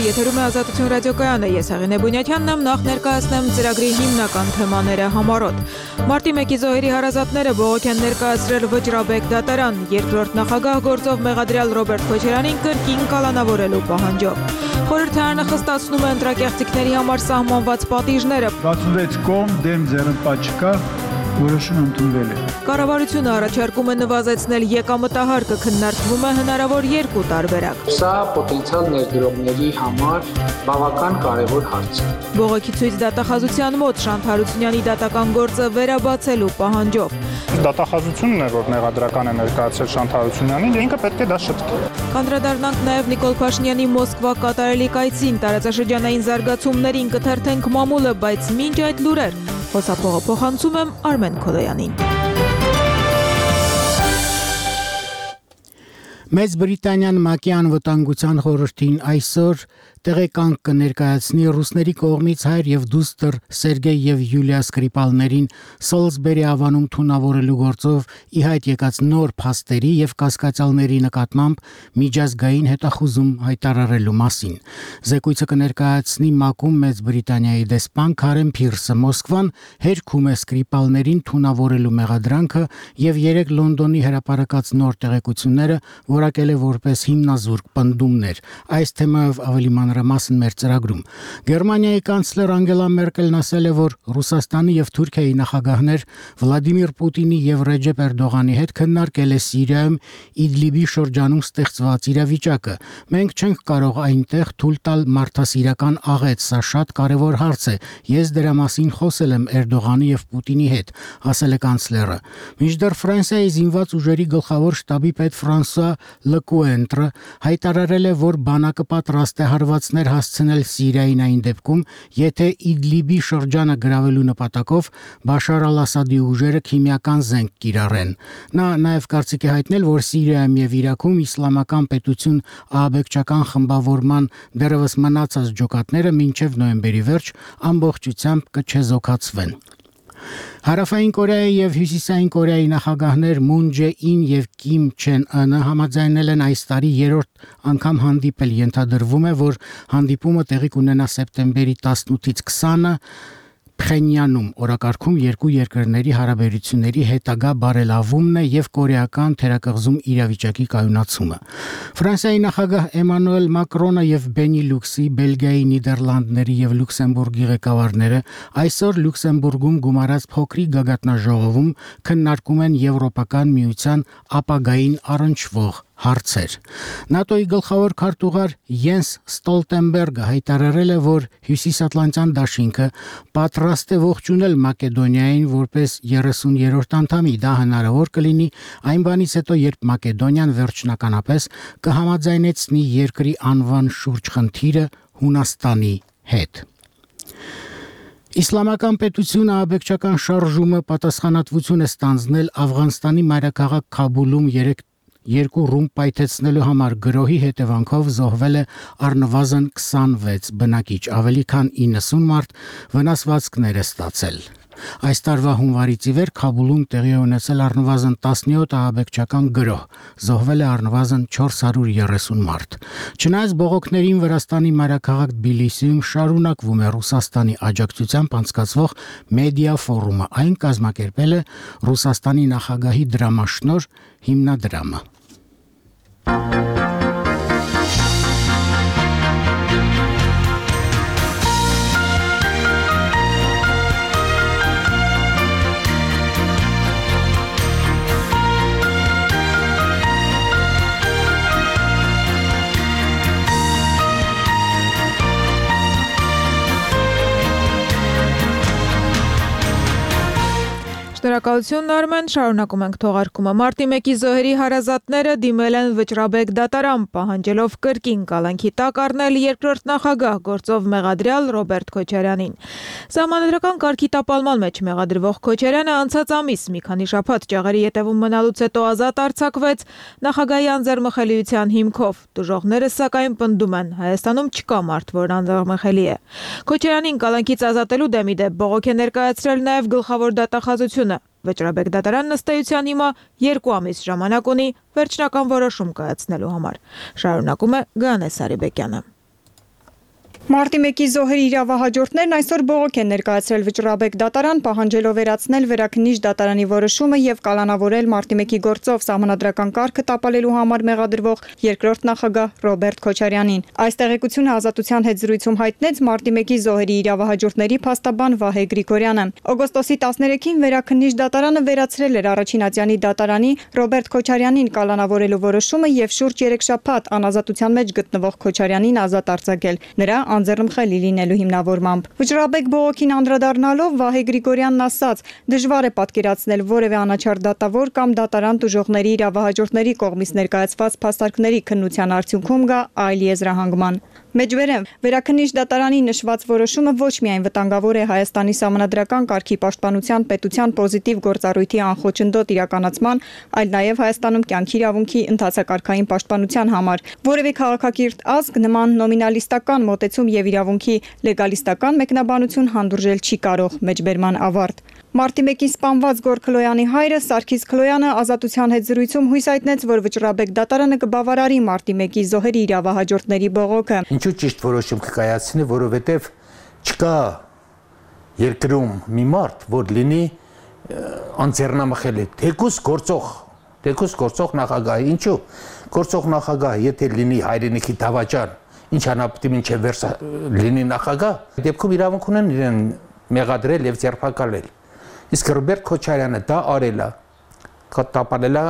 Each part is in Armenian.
եթերում է Ազատություն ռադիոկայանը, ես Հեղինե Բունյաթյանն եմ, նախ ներկայացնեմ ծրագրի հիմնական թեմաները համառոտ։ Մարտի 1-ի զոհերի հարազատները բողոք են ներկայացրել Վճռաբեկ դատարան, երկրորդ նախագահ գործով մեղադրյալ Ռոբերտ Քոչարյանին կրկին կալանավորելու պահանջով։ Խորհրդարանը խստացնում է ընտրակեղծիքների համար սահմանված պատիժները։ 66 կողմ դեմ ձեռնպատ չկա, որոշում ընդունվել է։ Կառավարությունը առաջարկում է նվազեցնել եկամտահարկը, քննարկվում է հնարավոր երկու տարբերակ։ Սա պոտենցիալ ներդրողների համար բավական կարևոր հարց է։ Բողոքի ցույց դատախազության մոտ Շանթ Հարությունյանի դատական գործը վերաբացելու պահանջով։ Դատախազությունն է, որ մեղադրական է ներկայացրել Շանթ Հարությունյանին, ինքը պետք է դա շտկի։ Կանդրադառնանք նաև Նիկոլ Փաշինյանի Մոսկվա կատարելի կայցին, տարածաշրջանային զարգացումներին կթերթենք մամուլը, բայց մինչ այդ լուրեր խոսափողը փոխանցում եմ Արմեն Քոլոյանին։ Մեծ Բրիտանիան ՄԱԿ-ի անվտանգության խորհրդին այսօր տեղեկանք կներկայացնի ռուսների կողմից հայր եւ դուստր Սերգեյ եւ Յուլիա Սկրիպալներին Սոլսբերի ավանում թունավորելու գործով ի հայտ եկած նոր փաստերի եւ կասկածյալների նկատմամբ միջազգային հետախուզում հայտարարելու մասին։ Զեկույցը կներկայացնի ՄԱԿ-ում Մեծ Բրիտանիայի դեսպան Քարեն Փիրսը։ Մոսկվան հերքում է Սկրիպալներին թունավորելու մեղադրանքը եւ 3 Լոնդոնի հրապարակած նոր տեղեկությունները որակել է որպես հիմնազուրկ պնդումներ։ Այս թեմայով ավելի մանրամասն մեր ծրագրում։ Գերմանիայի կանցլեր Անգելա Մերկելն ասել է, որ Ռուսաստանի եւ Թուրքիայի նախագահներ Վլադիմիր Պուտինի եւ Ռեջեփ Էրդողանի հետ քննարկել է Սիրիայում Իդլիբի շրջանում ստեղծված իրավիճակը։ Մենք չենք կարող այնտեղ թույլ տալ մարդասիրական աղետ, սա շատ կարևոր հարց է։ Ես դրա մասին խոսել եմ Էրդողանի եւ Պուտինի հետ, ասել է կանցլերը։ Մինչդեռ Ֆրանսիայի զինված ուժերի գլխավոր շտաբի պետ Ֆրանսուଆ Լկուենտրը հայտարարել է, որ բանակը պատրաստ է հարվածներ հասցնել Սիրիային այն դեպքում, եթե Իդլիբի շրջանը գրավելու նպատակով Բաշար al-Ասադի ուժերը քիմիական զենք կիրառեն։ Նա նաև կարծիք է հայտնել, որ Սիրիայում եւ Իրաքում իսլամական պետություն ահաբեկչական խմբավորման դեռևս մնացած ջոկատները մինչև նոյեմբերի վերջ ամբողջությամբ կչեզոքացվեն։ Հարավային Կորեայի եւ Հյուսիսային Կորեայի նախագահներ Մուն Ջե-ին եւ Կիմ Չեն Ընը համաձայնել են այս տարի երրորդ անգամ հանդիպել։ Ենթադրվում է, որ հանդիպումը տեղի կունենա սեպտեմբերի 18-ից 20-ը Փխենյանում։ Օրակարգում երկու երկրների հարաբերությունների հետագա բարելավումն է եւ կորեական թերակղզում իրավիճակի կայունացումը։ Ֆրանսիայի նախագահ Էմանուել Մակրոնը եւ Բենիլյուքսի, Բելգիայի, Նիդերլանդների եւ Լյուքսեմբուրգի ղեկավարները այսօր Լյուքսեմբուրգում գումարած փոքրիկ գագաթնաժողովում քննարկում են Եվրոպական միության ապագային առնչվող հարցեր։ ՆԱՏՕ-ի գլխավոր քարտուղար Յենս Ստոլտենբերգը հայտարարել է, որ Հյուսիսատլանտյան դաշինքը պատրաստ է ողջունել Մակեդոնիային որպես 30-րդ անդամի։ Դա հնարավոր կլինի այն բանից հետո, երբ Մակեդոնիան վերջնականապես կհամաձայնեցնի երկրի անվան շուրջ խնդիրը Հունաստանի հետ։ Իսլամական պետությունը ահաբեկչական շարժումը պատասխանատվություն է ստանձնել Աֆղանստանի մայրաքաղաք Քաբուլում երկու ռումբ պայթեցնելու համար գրոհի հետևանքով զոհվել է առնվազն 26 բնակիչ, ավելի քան 90 մարդ վնասվածքներ է ստացել։ Այս տարվա հունվարից ի վեր Քաբուլում տեղի է ունեցել առնվազն 17 ահաբեկչական գրոհ, զոհվել է առնվազն 430 մարդ։ Չնայած բողոքներին Վրաստանի մայրաքաղաք Թբիլիսիում շարունակվում է Ռուսաստանի աջակցությամբ անցկացվող մեդիա ֆորումը, այն կազմակերպել է Ռուսաստանի նախագահի դրամաշնորհ հիմնադրամը։ Շնորհակալություն Արմեն, շարունակում ենք թողարկումը։ Մարտի 1-ի զոհերի հարազատները դիմել են Վճռաբեկ դատարան, պահանջելով կրկին կալանքի տակ առնել երկրորդ նախագահ գործով մեղադրյալ Ռոբերտ Քոչարյանին։ Սահմանադրական կարգի տապալման մեջ մեղադրվող Քոչարյանը անցած ամիս մի քանի շաբաթ ճաղերի ետևում մնալուց հետո ազատ արձակվեց նախագահի անձեռմխելիության հիմքով։ Տուժողները սակայն պնդում են, Հայաստանում չկա մարդ, որ անձեռմխելի է։ Քոչարյանին կալանքից ազատելու դեմ ի դեպ բողոք է ներկայացրել նաև գլխավոր դատախազությունը։ Վճռաբեկ դատարանն ըստ էության հիմա 2 ամիս ժամանակ ունի վերջնական որոշում կայացնելու համար։ Շարունակում է Գանե Սարիբեկյանը։ Մարտի 1-ի զոհերի իրավահաջորդներն այսօր բողոք են ներկայացրել Վճռաբեկ դատարան, պահանջելով վերացնել Վերաքննիչ դատարանի որոշումը եւ կալանավորել Մարտի 1-ի գործով սահմանադրական կարգը տապալելու համար մեղադրվող երկրորդ նախագահ Ռոբերտ Քոչարյանին։ Այս տեղեկությունը Ազատության հետ զրույցում հայտնեց Մարտի 1-ի զոհերի իրավահաջորդների փաստաբան Վահե Գրիգորյանը։ Օգոստոսի 13-ին Վերաքննիչ դատարանը վերացրել էր առաջին ատյանի դատարանի Ռոբերտ Քոչարյանին կալանավորելու որոշումը եւ շուրջ 3 շաբաթ անազատության մեջ գտնվող Քոչարյանին ազատ արձակել։ Նրա անձեռնմխելի լինելու հիմնավորմամբ։ Վճռաբեկ բողոքին անդրադառնալով Վահե Գրիգորյանն ասաց. դժվար է պատկերացնել որևէ անաչառ դատավոր կամ դատարան տուժողների իրավահաջորդների կողմից ներկայացված փաստարկների քննության արդյունքում գա այլ եզրահանգման։ Մեջբերեմ, Վերաքննիչ դատարանի նշված որոշումը ոչ միայն վտանգավոր է Հայաստանի սահմանադրական կարգի պաշտպանության պետության պոզիտիվ գործառույթի անխոչնդոտ իրականացման, այլ նաև Հայաստանում կյանքի իրավունքի ընդհանրակարգային պաշտպանության համար։ Որևէ քաղաքակիրթ ազգ նման նոմինալիստական մոտեցում եւ իրավունքի լեգալիստական մեկնաբանություն հանդուրժել չի կարող։ Մեջբերման ավարտ։ Մարտի 1-ին սպանված Գոր Քլոյանի հայրը Սարգիս Քլոյանը Ազատության հետ զրույցում հույս հայտնեց, որ Վճռաբեկ դատարանը կբավարարի Մարտի 1-ի զոհերի իրավահաջորդների բողոքը։ Ինչու ճիշտ որոշում կկայացնի, որովհետև չկա երկրում մի մարդ, որ լինի անձեռնամխելի, թեկուզ գործող նախագահ, ինչու գործող նախագահ, եթե լինի հայրենիքի դավաճան, ինչ անապտի մինչև վերջ լինի նախագահ, դեպքում իրավունք ունեն իրեն մեղադրել եւ ձերբակալել։ Իսկ Ռոբերտ Քոչարյանը դա արել է, տապալել է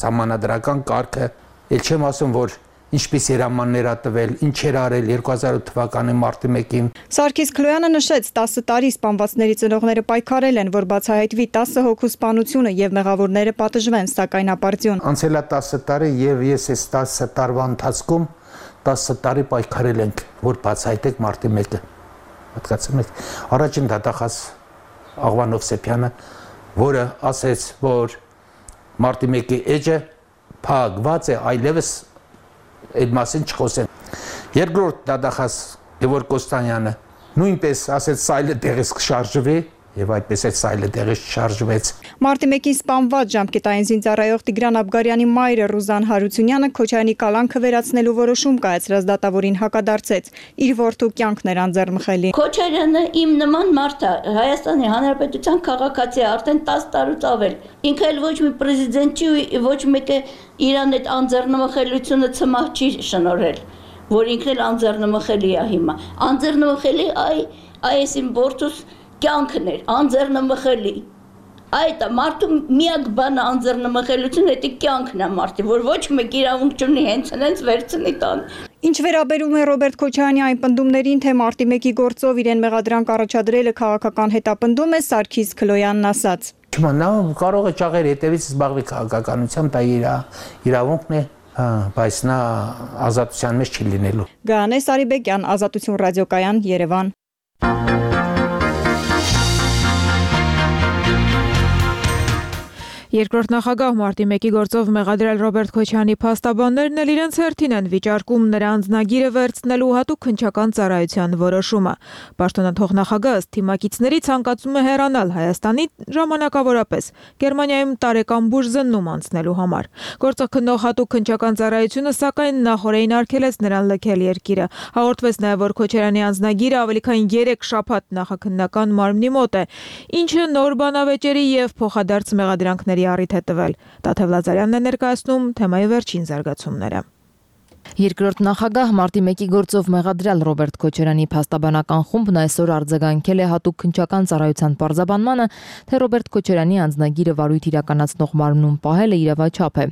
սահմանադրական կարգը, ել չեմ ասում, որ ինչպես հրամաններ ա տվել, ինչ էր արել 2008 թվականի մարտի 1-ին։ Սարգիս Քլոյանը նշեց, 10 տարի սպանվածների ծնողները պայքարել են, որ բացահայտվի 10 հոգու սպանությունը եւ մեղավորները պատժվեն, սակայն ապարդյուն։ Անցել է 10 տարի եւ ես այս 10 տարվա ընթացքում 10 տարի պայքարել ենք, որ բացահայտեք մարտի 1-ը։ Պատկացում եք, առաջին դատախազ Աղվան Հովսեփյանը, որը ասեց, որ մարտի 1-ի էջը փակված է, այլևս այդ մասին չխոսեն։ Երկրորդ դատախազ Գևորգ Կոստանյանը նույնպես ասեց սայլը տեղից կշարժվի եւ այդպես այդ սայլը տեղից շարժվեց։ Մարտի 1-ին սպանված ժամկետային զինծառայող Տիգրան Աբգարյանի մայրը Ռուզան Հարությունյանը Քոչարյանի կալանքը վերացնելու որոշում կայացրած դատավորին հակադարձեց։ Իր որդու կյանքն էր անձեռնմխելի։ Քոչարյանը իմ նման մարդ է, Հայաստանի Հանրապետության քաղաքացի է արդեն 10 տարուց ավել։ Ինքը էլ ոչ մի պրեզիդենտ չի ու ոչ մեկը իրան այդ անձեռնմխելիությունը ցմահ չի շնորհել, որ ինքն էլ անձեռնմխելի է հիմա։ Անձեռնմխելի այս իմ որդուս կյանքն էր, անձեռնմխելի։ Այդ մարդու միակ բանը անձեռնմխելությունը դա կյանքն է մարդի, որ ոչ մեկ իրավունք չունի հենց վերցնի տան։ Ինչ վերաբերում է Ռոբերտ Քոչարյանի այն պնդումներին, թե մարտի 1-ի գործով իրեն մեղադրանք առաջադրելը քաղաքական հետապնդում է, Սարգիս Քլոյանն ասաց։ Չնայած նա կարող է ճաղեր հետևից զբաղվի քաղաքականությամբ, դա իր իրավունքն է, բայց նա ազատության մեջ չի լինելու։ Գայանե Սարիբեկյան, Ազատություն ռադիոկայան, Երևան։ Երկրորդ նախագահ Մարտի 1-ի գործով մեղադրել Ռոբերտ Քոչարյանի փաստաբաններն էլ իրենց հերթին են վիճարկում նրա անձնագիրը վերցնելու հատուկ քննչական ծառայության որոշումը։ Պաշտոնաթող նախագահը թիմակիցների ցանկացում է հեռանալ Հայաստանի ժամանակավորապես Գերմանիայում տարեկան բուժզննում անցնելու համար։ Գործը քննող հատուկ քննչական ծառայությունը սակայն նախորդին արգելեց նրան լքել երկիրը։ Հաղորդվեց նաև, որ Քոչարյանի անձնագիրը ավելի քան 3 շաբաթ նախաքննական մարմնի մոտ է, ինչը նոր բանավեճերի եւ փոխադարձ մեղադրանքների առիթ է տվել։ Տաթև Լազարյանն է ներկայացնում թեմայի վերջին զարգացումները։ Երկրորդ նախագահ Մարտի 1-ի գործով մեղադրյալ Ռոբերտ Քոչարյանի փաստաբանական խումբն այսօր արձագանքել է հատուկ քննչական ծառայության պարզաբանմանը, թե Ռոբերտ Քոչարյանի անձնագիրը վարույթ իրականացնող մարմնում պահելը իրավաչափ է։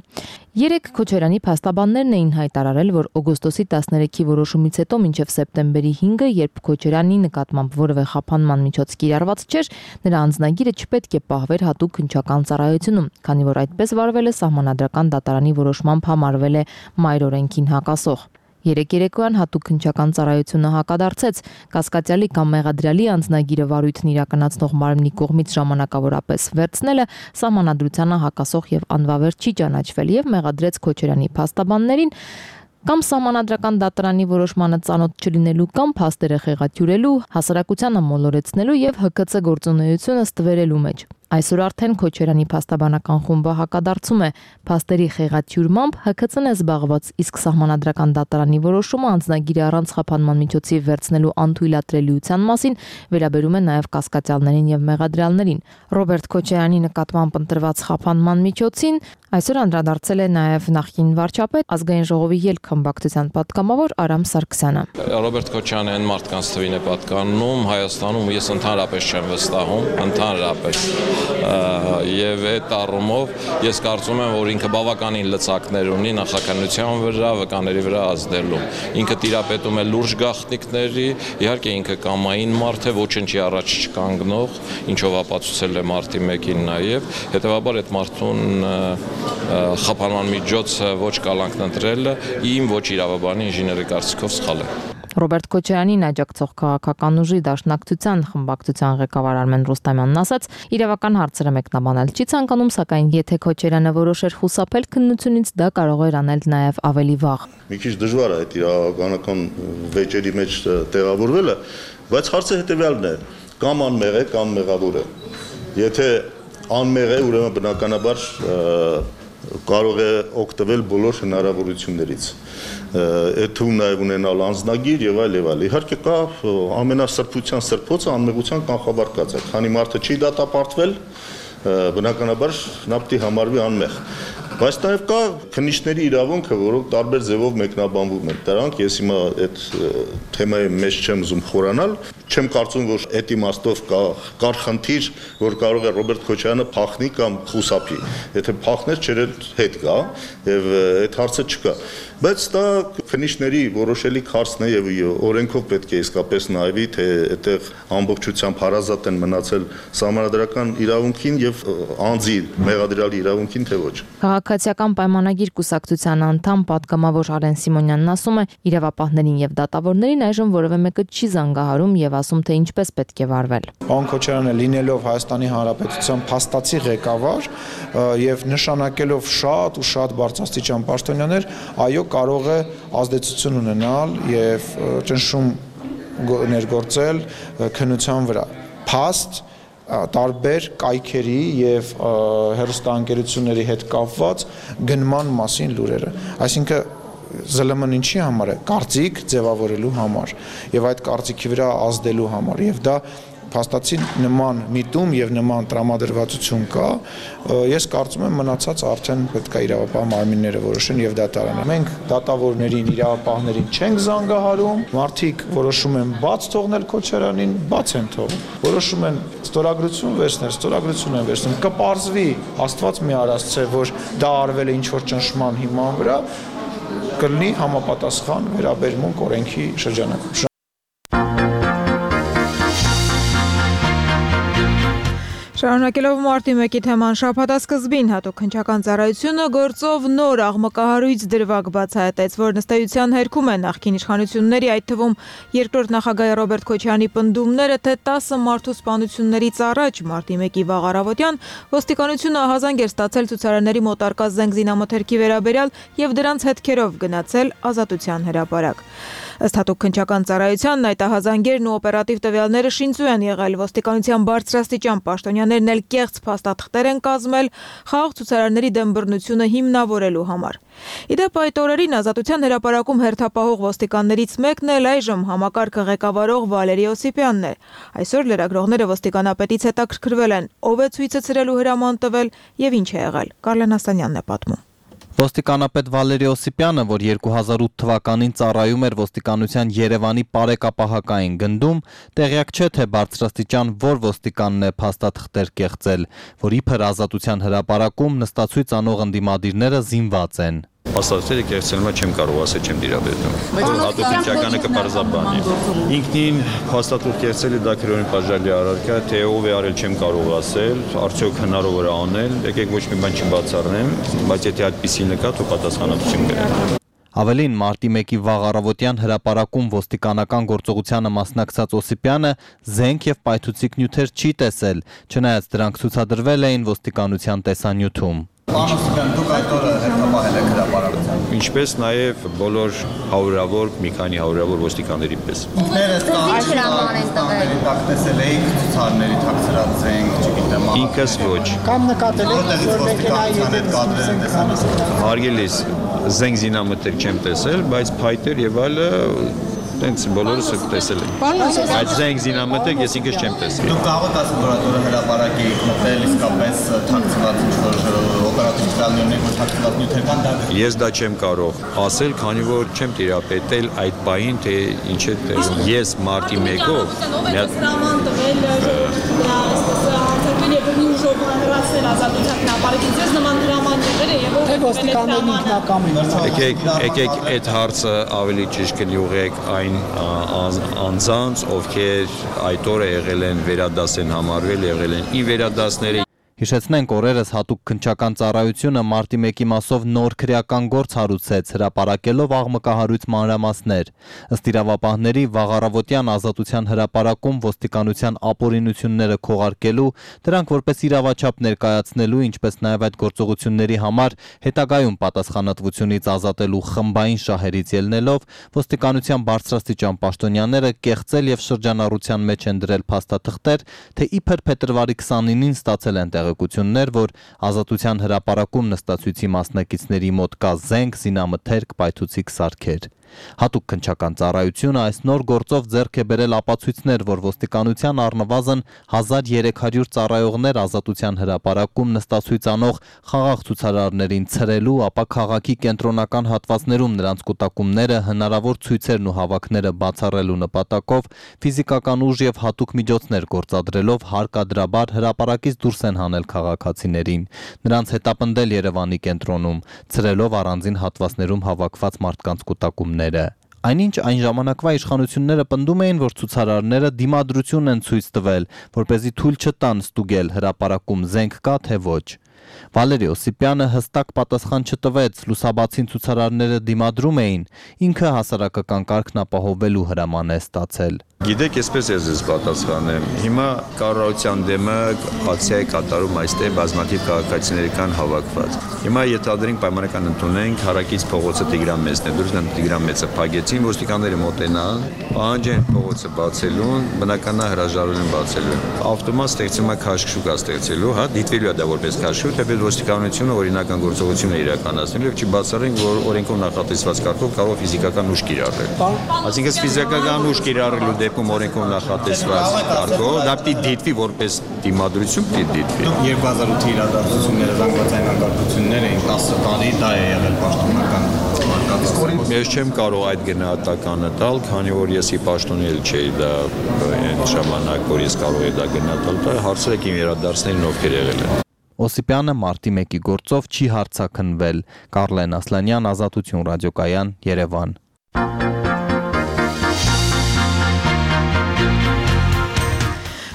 Երեք Քոչարյանի փաստաբաններն էին հայտարարել, որ օգոստոսի 13-ի որոշումից հետո մինչև սեպտեմբերի 5-ը, երբ Քոչարյանի նկատմամբ որևէ խափանման միջոց կիրառված չէր, նրա անձնագիրը չպետք է պահվեր հատուկ քննչական ծառայությունում, քանի որ այդպես վարվել է սահմանադրական դատարանի որոշմամբ համարվել է մայր օրենքին հակասող։ Երեք երեկոյան հատուկ քննչական ծառայությունը հակադարձեց կասկածյալի կամ մեղադրյալի անձնագիրը վարույթն իրականացնող մարմնի կողմից ժամանակավորապես վերցնելը սահմանադրությանը հակասող եւ անվավեր չի ճանաչվել եւ մեղադրեց Քոչարյանի փաստաբաններին կամ սահմանադրական դատարանի որոշմանը ծանոթ չլինելու կամ փաստերը խեղաթյուրելու, հասարակությանը մոլորեցնելու եւ ՀԿՑ գործունեությունը ստվերելու մեջ։ Այսօր արդեն Քոչարյանի փաստաբանական խումբը հակադարձում է փաստերի խեղաթյուրմամբ ՀՔՑ-ն է զբաղված, իսկ սահմանադրական դատարանի որոշումը անձնագիրը առանց խափանման միջոցի վերցնելու անթույլատրելիության մասին վերաբերում է նաև կասկածյալներին եւ մեղադրյալներին։ Ռոբերտ Քոչարյանի նկատմամբ ընտրված խափանման միջոցին այսօր անդրադարձել է նաև նախկին վարչապետ Ազգային ժողովի ելք խմբակցության պատգամավոր Արամ Սարգսյանը։ Ռոբերտ Քոչարյանը այն մարդկանց թվին է պատկանում Հայաստանում, ես ընդհանրապես չեմ վստահում, ընդհանրապես։ Եվ այդ առումով ես կարծում եմ, որ ինքը բավականին լծակներ ունի նախաքննության վրա, վկաների վրա ազդելու։ Ինքը տիրապետում է լուրջ գաղտնիքների, իհարկե ինքը կամային մարդ է, ոչնչի առաջ չկանգնող, ինչով ապացուցել է մարտի 1-ին նաև, հետևաբար այդ մարդուն խափանման միջոցը ոչ կալանքն ընտրելը իմ ոչ իրավաբանի ինժեների կարծիքով սխալ է։ Ռոբերտ Քոչարյանին աջակցող քաղաքական ուժի Դաշնակցության խմբակցության ղեկավար Արմեն Ռուստամյանն ասաց, իրավական հարցերը մեկնաբանել չի ցանկանում, սակայն եթե Քոչարյանը որոշեր խուսափել քննությունից, դա կարող էր անել նաև ավելի վաղ։ Մի քիչ դժվար է այդ իրավականական վեճերի մեջ տեղավորվելը, բայց հարցը հետևյալն է. կամ անմեղ է, կամ մեղավոր է։ Եթե անմեղ է, ուրեմն բնականաբար կարող է օգտվել բոլոր հնարավորություններից։ Այդ թվում նաև ունենալ անձնագիր եւ այլ եւ այլ։ Իհարկե կա ամենասրբության սրբոցը անմեղության կանխավարկած է։ Քանի մարդը չի դատապարտվել, բնականաբար նա պետք է համարվի անմեղ։ Բայց նաև կա քննիչների իրավունքը, որոնք տարբեր ձևով մեկնաբանվում են։ Դրանք ես հիմա այդ թեմայի մեջ չեմ ուզում խորանալ, չեմ կարծում, որ այդ իմաստով կար խնդիր, որ կարող է Ռոբերտ Քոչարյանը փախնի կամ խուսափի։ Եթե փախներ, չեր հետ գա եւ այդ հարցը չկա։ Բայց դա քննիչների որոշելիք հարցն է եւ օրենքով պետք է իսկապես նայվի, թե այդտեղ ամբողջությամբ հարազատ են մնացել սահմանադրական իրավունքին եւ անձի մեղադրյալի իրավունքին, թե ոչ։ Քաղաքացիական պայմանագիր կուսակցության անդամ պատգամավոր Արեն Սիմոնյանն ասում է, իրավապահներին եւ դատավորներին այժմ որևէ մեկը չի զանգահարում եւ ասում, թե ինչպես պետք է վարվել։ Պարոն Քոչարյանը լինելով Հայաստանի Հանրապետության փաստացի ղեկավար եւ նշանակելով շատ ու շատ բարձրաստիճան պաշտոնյաներ, այո, կարող է ազդեցություն ունենալ եւ ճնշում ներգործել քննության վրա։ Փաստ տարբեր կայքերի եւ հեռուստաընկերությունների հետ կապված գնման մասին լուրերը։ Այսինքն ԶԼՄ-ն ինչի համար է, կարծիք ձևավորելու համար եւ այդ կարծիքի վրա ազդելու համար եւ դա փաստացի նման միտում եւ նման տրամադրվածություն կա, ես կարծում եմ մնացած արդեն պետք է իրավապահ մարմինները որոշեն եւ դատարանը։ Մենք դատավորներին, իրավապահներին չենք զանգահարում, մարդիկ որոշում են բաց թողնել Քոչարյանին, բաց են թողում։ Որոշում են ստորագրություն վերցնել, ստորագրություն են վերցնում։ Կպարզվի, Աստված մի արածցե, որ դա արվել է ինչ որ ճնշման հիման վրա, կլինի համապատասխան վերաբերմունք օրենքի շրջանակում։ Շարունակելով մարտի 1-ի թեման, շաբաթասկզբին հատուկ հնչական ծառայությունը գործով նոր աղմկահարույց դրվագ բացահայտեց, որն ըստ էության հերքում է նախկին իշխանությունների, այդ թվում երկրորդ նախագահ Ռոբերտ Քոչարյանի պնդումները, թե 10 մարդու սպանություններից առաջ մարտի 1-ի վաղ առավոտյան ոստիկանությունը ահազանգ էր ստացել ցուցարարների մոտ արկա զենք զինամթերքի վերաբերյալ եւ դրանց հետքերով գնացել Ազատության հրապարակ։ Ըստ հատուկ հնչական ծառայությանն այդ ահազանգերն ու օպերատիվ տվյալները շինծու են եղել, ոստիկանության բարձրաստիճան պաշտոնյաներն էլ կեղծ փաստաթղթեր են կազմել խաղաղ ցուցարարների դեմ բռնությունը հիմնավորելու համար։ Իդեպ այդ օրերին Ազատության հրապարակում հերթապահող ոստիկաններից մեկն էլ այժմ համակարգը ղեկավարող Վալերի Օսիպյանն է։ Այսօր լրագրողները ոստիկանապետից հետաքրքրվել են, ով է ցույցը ցրելու հրաման տվել եւ ինչ է եղել։ Կարլեն Ասանյանն է պատմում։ Ոստիկանապետ Վալերի Օսիպյանը, որ 2008 թվականին ծառայում էր ոստիկանության Երևանի պարեկապահակային գնդում, տեղյակ չէ, թե բարձրաստիճան որ ոստիկանն է փաստաթղթեր կեղծել, որ իբր Ազատության հրապարակում նստացույց անող ընդդիմադիրները զինված են։ Փաստաթղթերը կեղծելը չեմ կարող ասել, չեմ դիրաբերում։ Հատուկ հնչականը կպարզաբանի։ Ինքնին փաստաթուղթ կեղծելը դա քրոջի բաժալի առարկա, թե ով է արել չեմ կարող ասել, արդյոք հնարավոր է անել, եկեք ոչ մի բան չբացառնեմ, բայց եթե այդպիսին կա, તો պատասխանատվություն կրեք։ Ավելին, մարտի 1-ի վաղ առավոտյան հրապարակում ոստիկանական գործողությանը մասնակցած Օսիպյանը զենք եւ պայթուցիկ նյութեր չի տեսել, չնայած դրանք ցուցադրվել էին ոստիկանության տեսանյութում։ Պանոսյան դուք այդ օրը հետապահել եք հրապարակության։ Ինչպես նաև բոլոր հարյուրավոր, մի քանի հարյուրավոր ոստիկանների պես։ Ինքներդ կամերի տակ տեսել էիք ցուցարների թաքցրած զենք, չգիտեմ։ Ինքս ոչ։ Կամ նկատել եք, որ մեքենայի հետ կադրել տեսանելի։ Հարգելիս զենք զինամթեր չեմ տեսել, բայց փայտեր եւ այլը տենց բոլորս տեսել ենք։ Այդ զենք զինամթեր ես ինքս չեմ տեսել։ Դուք կարող եք ասել, որ այդ օրը հրապարակ եք մտել իսկապես թաքցված ինչ-որ օպերատիվ պլաններներ, որ թաքցված նյութեր կան, դա Ես դա չեմ կարող ասել, քանի որ չեմ տիրապետել այդ պահին, թե ինչ է տեղում։ Ես մարտի 1-ով Եկեք այդ հարցը ավելի ճիշտ կնյուղեք այն անձանց, ովքեր այդ օրը եղել են վերադասեն համարվել, եղել են ի վերադասները Հիշեցնենք օրերս հատուկ քննչական ծառայությունը մարտի 1-ի մասով նոր քրեական գործ հարուցեց, հրապարակելով աղմկահարույց մանրամասներ։ Ըստ իրավապահների վաղառավոտյան ազատության հրապարակում ոստիկանության ապօրինությունները քողարկելու, դրանք որպես իրավաչափ ներկայացնելու, ինչպես նաև այդ գործողությունների համար հետագայում պատասխանատվությունից ազատելու խմբային շահերից ելնելով, ոստիկանության բարձրաստիճան պաշտոնյաները կեղծել եւ շրջանառության մեջ են դրել փաստաթղթեր, թե իբր փետրվարի 29-ին ստացել են տեղեկություններ, որ ազատության հրապարակում նստածույցի մասնակիցների մոտ կա զենք, զինամթերք, պայթուցիկ սարքեր։ Հատուկ քննչական ծառայությունը այս նոր գործով ձեռք է բերել ապացույցներ, որ ոստիկանության առնվազն 1300 ծառայողներ ազատության հրապարակում նստածույց անող խաղաղ ցուցարարներին ցրելու, ապա քաղաքի կենտրոնական հատվածներում նրանց կուտակումները, հնարավոր ցույցերն ու հավաքները բացառելու նպատակով ֆիզիկական ուժ եւ հատուկ միջոցներ գործադրելով հարկադրաբար հրապարակից դուրս են հանել քաղաքացիներին, նրանց հետապնդել Երևանի կենտրոնում, ցրելով առանձին հատվածներում հավաքված մարդկանց կուտակումները Այնինչ այն ժամանակվա իշխանությունները պնդում էին, որ ցուցարարները դիմադրություն են ցույց տվել, որպեսզի թույլ չտան ստուգել հրապարակում զենք կա թե ոչ։ Վալերի Օսիպյանը հստակ պատասխան չտվեց, լուսաբացին ցուցարարները դիմադրում էին, ինքը հասարակական կարգն ապահովելու հրաման է ստացել։ Գիտեք, այսպես ես պատասխանեմ։ Հիմա կառավարության դեմը ակցիա է կատարում այստեղ բազմաթիվ քաղաքացիներ կան հավաքված։ Հիմա ենթադրենք պայմանական ընդունենք հարակից փողոցը Տիգրան Մեծն է, դուրս Տիգրան Մեծը փակեցին, ոստիկանները մոտենան, պահանջեն փողոցը բացելուն, բնականա հրաժարվել են բացելու։ Ավտոմատ ստեղծում է քաշքշուկ ստեղծելու, հա, դիտվելու է դա որպես քաշքշուկ, թեպետ ոստիկանությունը օրինական գործողություն է իրականացնելու եւ չբացառենք, որ օրենքով նախատեսված կարգով կարող ֆիզիկական ուժ կիրառել։ Այսինքն ֆիզիկական ուժ կիրառելու դեպքում օրենքով նախատեսված կարգով դա պիտի դիտվի որպես դիմադրություն, պիտի դիտվի։ 2008-ի իրադարձությունները զանգվածային հակակություններ էին 10 տարի, դա է եղել պաշտոնական Ես չեմ կարող այդ գնահատականը տալ, քանի որ ես ի պաշտոնել չէի դա այն ժամանակ, որ ես կարող եի դա գնահատել, դա հարցրեք իմ իրադարձներին ովքեր եղել են։ Օսիպյանը մարտի 1-ի գործով չի հարցաքննվել։ Կարլեն Ասլանյան, Ազատություն ռադիոկայան, Երևան։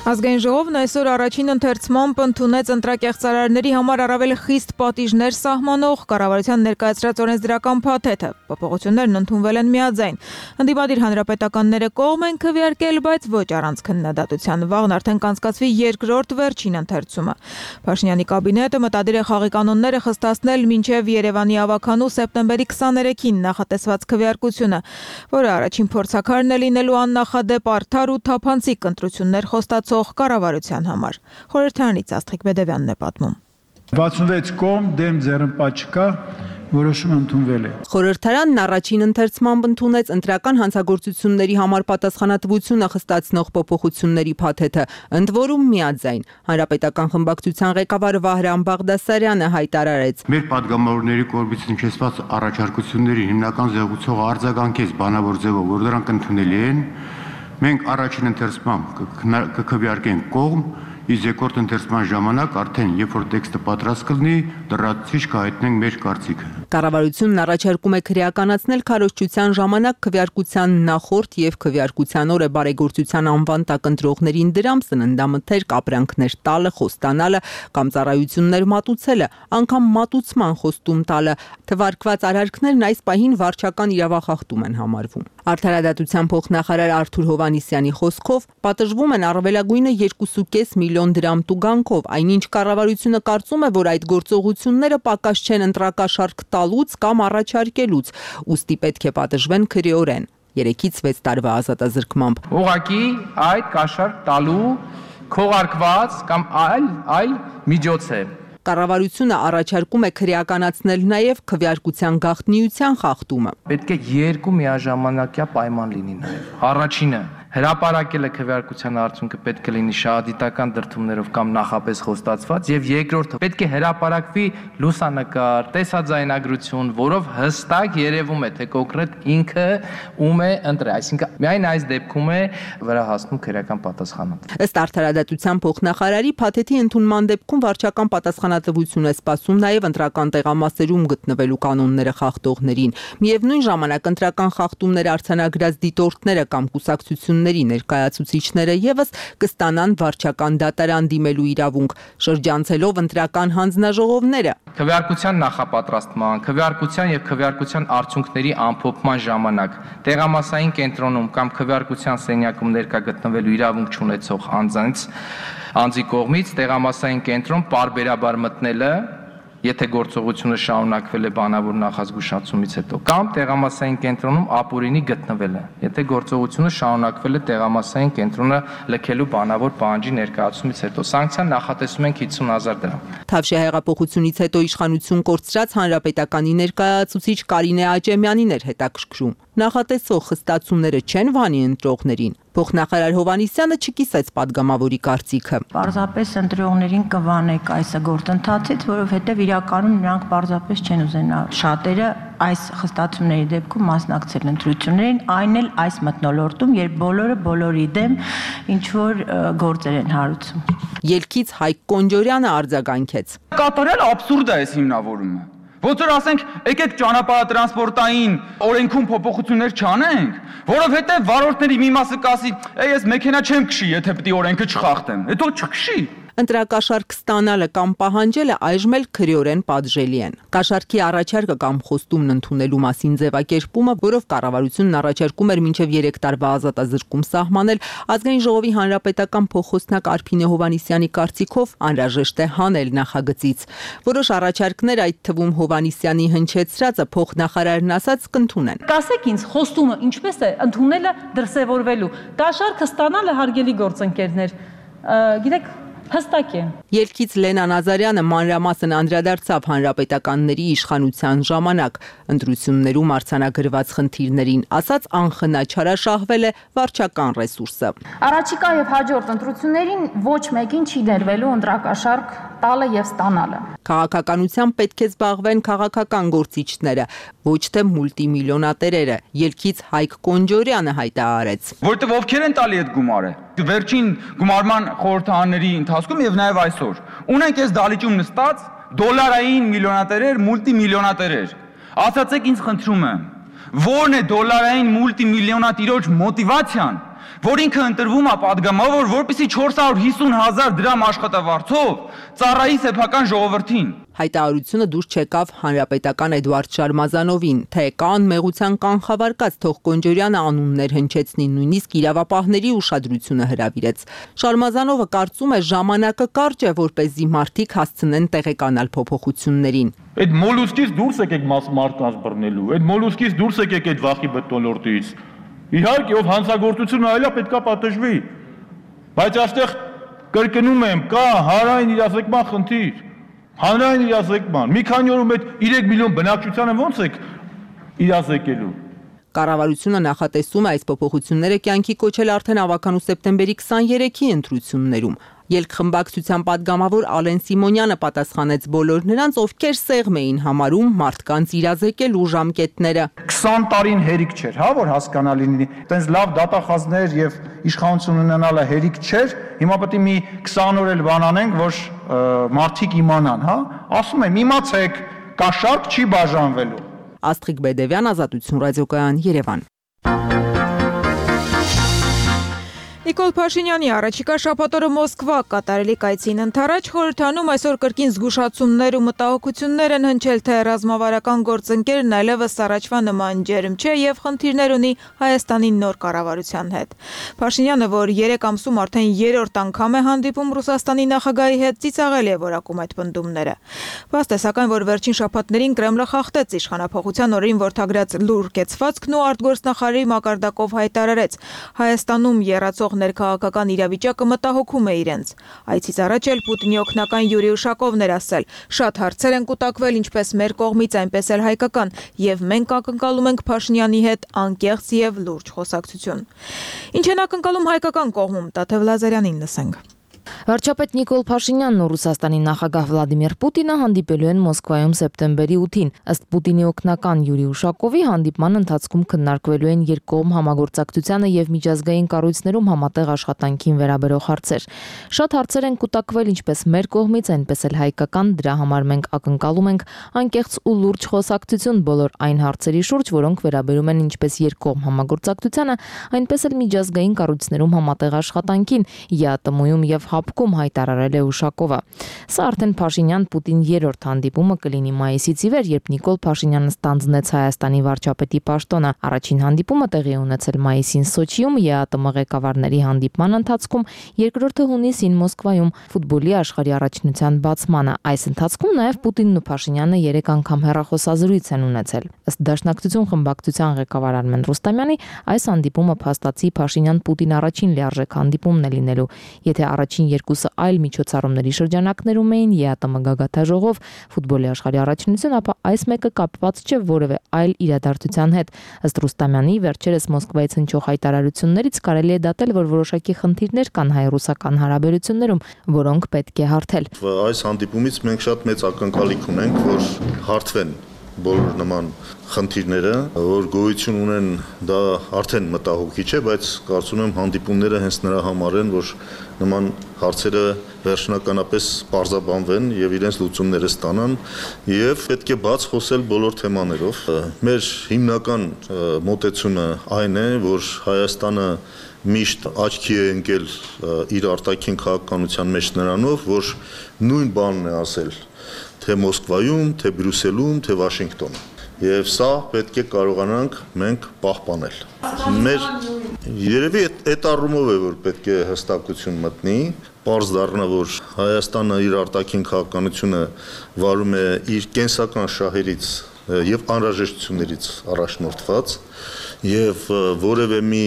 Ազգային ժողովն այսօր առաջին ընթերցմամբ ընդունեց ընտրակեղծարարների համար առավել խիստ պատիժներ սահմանող կառավարության ներկայացրած օրենսդրական փաթեթը։ Փոփոխություններն ընդունվել են միաձայն։ Ընդդիմադիր հանրապետականները կողմ են քվեարկել, բայց ոչ առանց քննադատության։ Վաղն արդեն կանցկացվի երկրորդ վերջին ընթերցումը։ Փաշինյանի կաբինետը մտադիր է խաղի կանոնները խստացնել մինչև Երևանի ավականու սեպտեմբերի 23-ին նախատեսված քվեարկությունը, որը առաջին փորձաքարն է լինելու աննախադեպ արդար ու թափանցիկ ընտրություններ խոստացող կառավարության համար։ Խորհրդարանից Աստղիկ Բեդևյանն է պատմում։ 66 կողմ դեմ ձեռնպատ չկա, որոշումը ընդունվել է։ Խորհրդարանն առաջին ընթերցմամբ ընդունեց ընտրական հանցագործությունների համար պատասխանատվությունը խստացնող փոփոխությունների փաթեթը, ընդ որում միաձայն։ Հանրապետական խմբակցության ղեկավար Վահրամ Բաղդասարյանը հայտարարեց. Մեր падգամավորների կողմից հնչեցված առաջարկությունների հիմնական զեկուցողը արձագանքեց բանավոր ձևով, որ դրանք ընդունելի են։ Մենք առաջին ընթերցմամբ կքվեարկենք կողմ, իսկ երկրորդ ընթերցման ժամանակ արդեն երբ որ տեքստը պատրաստ կլինի, լրացուցիչ կհայտնենք մեր կարծիքը։ Կառավարությունն առաջարկում է քրեականացնել քարոզչության ժամանակ քվեարկության նախորդ եւ քվեարկության օրը բարեգործության անվան տակ ընտրողներին դրամ սննդամթերք, ապրանքներ տալը, խոստանալը կամ ծառայություններ մատուցելը, անգամ մատուցման խոստում տալը։ Թվարկված արարքներն այս պահին վարչական իրավախախտում են համարվում։ Արդարադատության փոխնախարար Արթուր Հովհաննիսյանի խոսքով պատժվում են առավելագույնը 2.5 միլիոն միլիոն դրամ տուգանքով, այնինչ կառավարությունը կարծում է, որ այդ գործողությունները պակաս չեն ընտրակաշարք տալուց կամ առաջարկելուց, ուստի պետք է պատժվեն քրեորեն։ 3-ից 6 տարվա ազատազրկմամբ։ Ուղղակի այդ կաշառք տալու քողարկված կամ այլ միջոց է։ Կառավարությունը առաջարկում է քրեականացնել նաև քվեարկության գաղտնիության խախտումը։ Պետք է երկու միաժամանակյա պայման լինի նաև։ Առաջինը հրապարակելը քվեարկության արդյունքը պետք է լինի շահադիտական դրդումներով կամ նախապես խոստացված, եւ երկրորդը պետք է հրապարակվի լուսանկար, տեսաձայնագրություն, որով հստակ երևում է, թե կոնկրետ ինքը ում է ընտրել, այսինքն միայն այս դեպքում է վրա հասնում քրեական պատասխանը։ Ըստ արդարադատության փոխնախարարի փաթեթի ընդունման դեպքում վարչական պատասխանատվություն է սպասում նաև ընտրական տեղամասերում գտնվելու կանոնները խախտողներին։ Միևնույն ժամանակ ընտրական խախտումներ արձանագրած դիտորդները կամ կուսակցությունների ներկայացուցիչները եւս կստանան վարչական դատարան դիմելու իրավունք, շրջանցելով ընտրական հանձնաժողովները։ Քվեարկության նախապատրաստման, քվեարկության եւ քվեարկության արդյունքների ամփոփման ժամանակ տեղամասային կենտրոնում կամ քվեարկության սենյակում ներկա գտնվելու իրավունք չունեցող անձի կողմից տեղամասային կենտրոն պարբերաբար մտնելը, եթե գործողությունը շարունակվել է բանավոր նախազգուշացումից հետո, կամ տեղամասային կենտրոնում ապօրինի գտնվելը, եթե գործողությունը շարունակվել է տեղամասային կենտրոնը լքելու բանավոր պահանջի ներկայացումից հետո, սանկցիան նախատեսում ենք 50,000 դրամ։ Թավշյա հեղափոխությունից հետո իշխանություն կորցրած հանրապետականի ներկայացուցիչ Կարինե Աճեմյանին էր հետաքրքրում։ Նախատեսող խստացումները չեն վանի ընտրողներին։ Փոխնախարար Հովհաննիսյանը չկիսեց падգամավորի կարծիքը։ Պարզապես ընտրողներին կվանեք այս գործընթացից, որովհետև իրականում նրանք պարզապես չեն ուզենա շատերը այս խստացումների դեպքում մասնակցել ընտրություններին, այն էլ այս մթնոլորտում, երբ բոլորը բոլորի դեմ ինչ որ գործեր են հարուցում։ Ելքից Հայկ Կոնջորյանը արձագանքեց։ Կատարել աբսուրդ է այս հիմնավորումը։ Ոնց որ ասենք, եկեք ճանապարհատրանսպորտային օրենքում փոփոխություններ չանենք, որովհետև վարորդների մի մասը կասի, ես մեքենա չեմ քշի, եթե պետք է օրենքը չխախտեմ։ Հետո չքշի։ Ընտրակաշարք ստանալը կամ պահանջելը այժմ էլ քրեորեն պատժելի են։ Կաշառքի առաջարկը կամ խոստումն ընդունելու մասին ձևակերպումը, որով կառավարությունն առաջարկում էր մինչև 3 տարվա ազատազրկում սահմանել, Ազգային ժողովի հանրապետական փոխխոսնակ Արփինե Հովհաննիսյանի կարծիքով անհրաժեշտ է հանել նախագծից։ Որոշ առաջարկներ, այդ թվում Հովհաննիսյանի հնչեցրածը փոխնախարարն ասաց կընդունեն։ Կասեք ինձ, խոստումը ինչպես է ընդունելը դրսևորվելու։ Կաշառքը ստանալը հարգելի գործընկերներ, գիտեք հստակ է։ Ելքից Լենա Նազարյանը մանրամասն անդրադարձավ հանրապետականների իշխանության ժամանակ ընտրություններում արձանագրված խնդիրներին, ասաց անխնա չարաշահվել է վարչական ռեսուրսը։ Առաջիկա եւ հաջորդ ընտրություններին ոչ մեկին չի դերվելու ընտրակաշառք տալը եւ ստանալը։ Քաղաքականությամբ պետք է զբաղվեն քաղաքական գործիչները, ոչ թե մուլտիմիլիոնատերերը, ելքից Հայկ Կոնջորյանը հայտարարեց։ Որտեւ ովքեր են տալի այդ գումարը։ Վերջին գումարման խորհրդարանների ընթացքում եւ նաեւ այսօր ունենք այս դալիճում նստած դոլարային միլիոնատերեր, մուլտիմիլիոնատերեր։ Ասացեք ինձ խնդրում եմ, ո՞րն է դոլարային մուլտիմիլիոնատիրոջ մոտիվացիան, որ ինքը ընտրվում է падգամավոր, որպեսզի 450,000 դրամ աշխատավարձով ծառայի սեփական ժողովրդին։ Հայտարարությունը դուրս չեկավ հանրապետական Էդուարդ Շարմազանովին, թե կան մեղության կանխավարկած թող Կոնջորյանը անուններ հնչեցնի, նույնիսկ իրավապահների ուշադրությունը հրավիրեց։ Շարմազանովը կարծում է ժամանակը կարճ է, որպեսզի մարդիկ հասցնեն տեղեկանալ փոփոխություններին։ Այդ մոլուսկից դուրս եկեք մարդկանց բռնելու, այդ մոլուսկից դուրս եկեք այդ վախի մթնոլորտից։ Իհարկե, ով հանցագործությունը այլա պետքա պատժվի, բայց այստեղ կրկնում եմ, կա հանրային իրազեկման խնդիր, հանրային իրազեկման, մի քանի օրում այդ 3 միլիոն բնակչությանը ո՞նց եք իրազեկելու։ Կառավարությունը նախատեսում է այս փոփոխությունները կյանքի կոչել արդեն ավականու սեպտեմբերի 23-ի ընտրություններում։ Ելքխմբակցության падգամավոր Ալեն Սիմոնյանը պատասխանեց բոլոր նրանց, ովքեր սեղմ էին համարում մարդկանց իրազեկելու ժամկետները։ 20 տարին հերիք չէր, հա, որ հասկանալի լինի։ Տենց լավ դատախազներ եւ իշխանություն ունենալը հերիք չէր։ Հիմա պետք է մի 20 օր էլ բան անենք, որ մարդիկ իմանան, հա։ Ասում եմ, իմացեք, կաշառք չի բաժանվելու։ Աստղիկ Բեդևյան, Ազատություն ռադիոկայան, Երևան։ Նիկոլ Փաշինյանի առաջիկա շաբաթօրը Մոսկվա կատարելի կայցին ընթരാճ խորհրդանում այսօր կրկին զգուշացումներ ու մտահոգություններ են հնչել, թե ռազմավարական գործընկերն այլևս առաջվա նման ջերմ չէ եւ խնդիրներ ունի Հայաստանի նոր կառավարության հետ։ Փաշինյանը, որ 3 ամսում արդեն 3-րդ անգամ է հանդիպում Ռուսաստանի նախագահի հետ, ծիծաղել է որակում այդ պնդումները։ Բաց է սակայն, որ վերջին շաբաթներին Կրեմլը խախտեց իշխանափոխության օրերին որդագրած լուր կեցվածքն ու արտգործնախարարի մակարդակով հայտարարեց. Հայաստանում եռացող ներքաղաքական իրավիճակը մտահոգում է իրենց։ Այցից առաջ էլ Պուտինի օգնական Յուրի Ուշակովն էր ասել. շատ հարցեր են կուտակվել ինչպես մեր կողմից, այնպես էլ հայկական, եւ մենք ակնկալում ենք Փաշինյանի հետ անկեղծ եւ լուրջ խոսակցություն։ Ինչ են ակնկալում հայկական կողմում, Տաթև Լազարյանին լսենք։ Վարչապետ Նիկոլ Փաշինյանն ու Ռուսաստանի նախագահ Վլադիմիր Պուտինը հանդիպելու են Մոսկվայում սեպտեմբերի 8-ին։ Ըստ Պուտինի օգնական Յուրի Ուշակովի հանդիպման ընթացքում քննարկվելու են երկկողմ համագործակցությանը եւ միջազգային կառույցներում համատեղ աշխատանքին վերաբերող հարցեր։ Շատ հարցեր են կուտակվել ինչպես մեր կողմից, այնպես էլ հայկական, դրա համար մենք ակնկալում ենք անկեղծ ու լուրջ խոսակցություն բոլոր այն հարցերի շուրջ, որոնք վերաբերում են ինչպես երկկողմ համագործակցությանը, այնպես էլ միջազգային կառույցներում համատեղ աշխատանքին, ԵԱՏՄ-ում եւ հապկում հայտարարել է Ուշակովը։ Սա արդեն Փաշինյան-Պուտին 3-րդ հանդիպումը կլինի մայիսից ի վեր, երբ Նիկոլ Փաշինյանը ստանձնեց Հայաստանի վարչապետի պաշտոնը։ Առաջին հանդիպումը տեղի ունեցել մայիսին Սոչիում ԵԱՏՄ ղեկավարների հանդիպման ընթացքում, երկրորդը հունիսին Մոսկվայում ֆուտբոլի աշխարհի առաջնության բացմանը։ Այս ընթացքում նաև Պուտինն ու Փաշինյանը 3 անգամ հեռախոսազրույց են ունեցել։ Ըստ Դաշնակցություն խմբակցության ղեկավար Արմեն Ռուստամյանի, այս հանդիպումը փաստացի Փաշինյան-Պուտին առաջին լիարժեք հանդիպումն է լինելու։ Եթե առաջին երկուսը այլ միջոցառումների շրջանակներում էին ԵԱՏՄ գագաթաժողով, ֆուտբոլի աշխարհի առաջնություն, ապա այս մեկը կապված չէ որևէ այլ իրադարձության հետ։ Ըստ Ռուստամյանի, վերջերս Մոսկվայից հնչող հայտարարություններից կարելի է դատել, որ որոշակի խնդիրներ կան հայ-ռուսական հարաբերություններում, որոնք պետք է հարթել։ Այս հանդիպումից մենք շատ մեծ ակնկալիք ունենք, որ հարթվեն բոլոր նման խնդիրները, որ գոյություն ունեն, դա արդեն մտահոգիչ է, բայց կարծում եմ հանդիպումները հենց նրա համար են, որ նման հարցերը վերջնականապես պարզաբանվեն եւ իրենց լուծումները ստանան եւ պետք է բաց խոսել բոլոր թեմաներով։ Մեր հիմնական մոտեցումը այն է, որ Հայաստանը միշտ աչքի է ընկել իր արտաքին քաղաքականության մեջ նրանով, որ նույն բանն է ասել թե Մոսկվայում, թե Բրյուսելում, թե Վաշինգտոնում։ Եվ սա պետք է կարողանանք մենք պահպանել։ Մեր երևի այդ առումով է, որ պետք է հստակություն մտնի, պարզ դառնա, որ Հայաստանը իր արտաքին քաղաքականությունը վարում է իր կենսական շահերից եւ անհրաժեշտություններից առաջնորդված եւ որևէ մի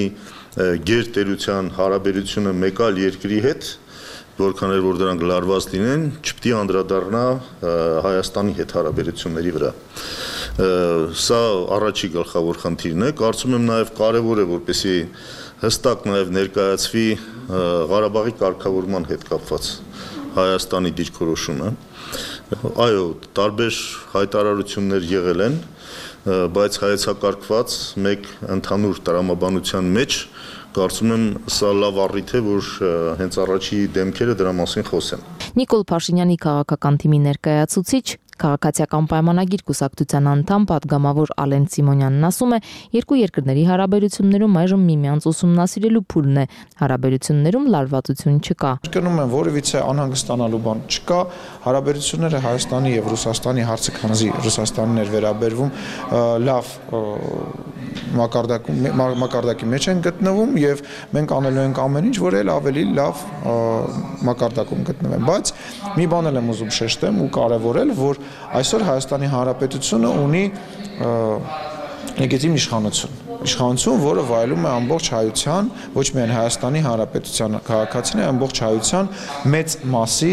գերտերության հարաբերությունը մեկ այլ երկրի հետ, որքան էլ որ դրանք լարված լինեն, չպետք է անդրադառնա Հայաստանի հետ հարաբերությունների վրա։ Սա առաջի գլխավոր խնդիրն է, կարծում եմ նաև կարևոր է, որպեսզի հստակ նաև ներկայացվի Ղարաբաղի կարգավորման հետ կապված Հայաստանի դիրքորոշումը։ Այո, տարբեր հայտարարություններ եղել են, բայց հայեցակարգված մեկ ընդհանուր տրամաբանության մեջ կարծում եմ սա լավ առիթ է, որ հենց առաջի դեմքերը դրա մասին խոսեն։ Նիկոլ Փաշինյանի քաղաքական թիմի ներկայացուցիչ Քաղաքացիական պայմանագիր կուսակցության անդամ պատգամավոր Ալեն Սիմոնյանն ասում է, երկու երկրների հարաբերություններում այժմ միմյանց ուսումնասիրելու փուլն է, հարաբերություններում լարվածություն չկա։ Կրկնում եմ, որևիցե անհանգստանալու բան չկա, հարաբերությունները Հայաստանի եւ Ռուսաստանի հարցը քանզի Ռուսաստանին էր վերաբերվում, լավ մակարդակի մեջ են գտնվում եւ մենք անելու ենք ամեն ինչ, որ էլ ավելի լավ մակարդակում գտնվեն, բայց մի բան էլ եմ ուզում շեշտեմ ու կարևորել, որ այսօր Հայաստանի Հանրապետությունը ունի լեգիտիմ իշխանություն, որը վայելում է ամբողջ հայության, ոչ միայն Հայաստանի Հանրապետության քաղաքացիների, ամբողջ հայության մեծ մասի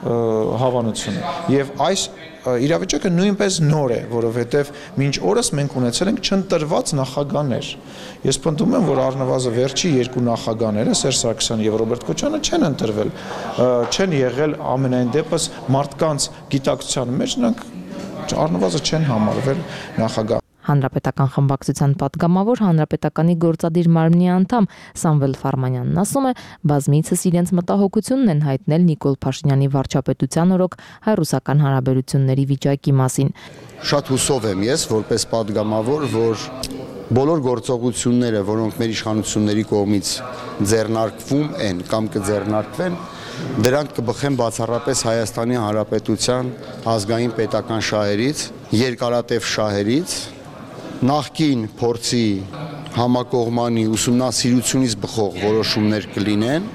հավանությունը։ Եվ այս իրավիճակը նույնպես նոր է, որովհետև մինչ օրս մենք ունեցել ենք չընտրված նախագահներ։ Ես պնդում եմ, որ առնվազն վերջի երկու նախագահները Սերժ Սարգսյանը եւ Ռոբերտ Քոչարյանը չեն ընտրվել, չեն եղել ամենայն դեպս մարդկանց գիտակցության մեջ, նրանք առնվազն չեն համարվել նախագահ։ Հանրապետական խմբակցության պատգամավոր Հանրապետականի գործադիր մարմնի անդամ Սամվել Ֆարմանյանն ասում է, բազմիցս իրենց մտահոգությունն են հայտնել Նիկոլ Փաշինյանի վարչապետության օրոք հայ-ռուսական հարաբերությունների վիճակի մասին։ Շատ հուսով եմ ես, որպես պատգամավոր, որ բոլոր գործողությունները, որոնք մեր իշխանությունների կողմից ձեռնարկվում են կամ կձեռնարկվեն, դրանք կբխեն բացառապես Հայաստանի Հանրապետության ազգային պետական շահերից, երկարատև շահերից, նախկին փորձի համակողմանի ուսումնասիրությունից բխող որոշումներ կլինեն։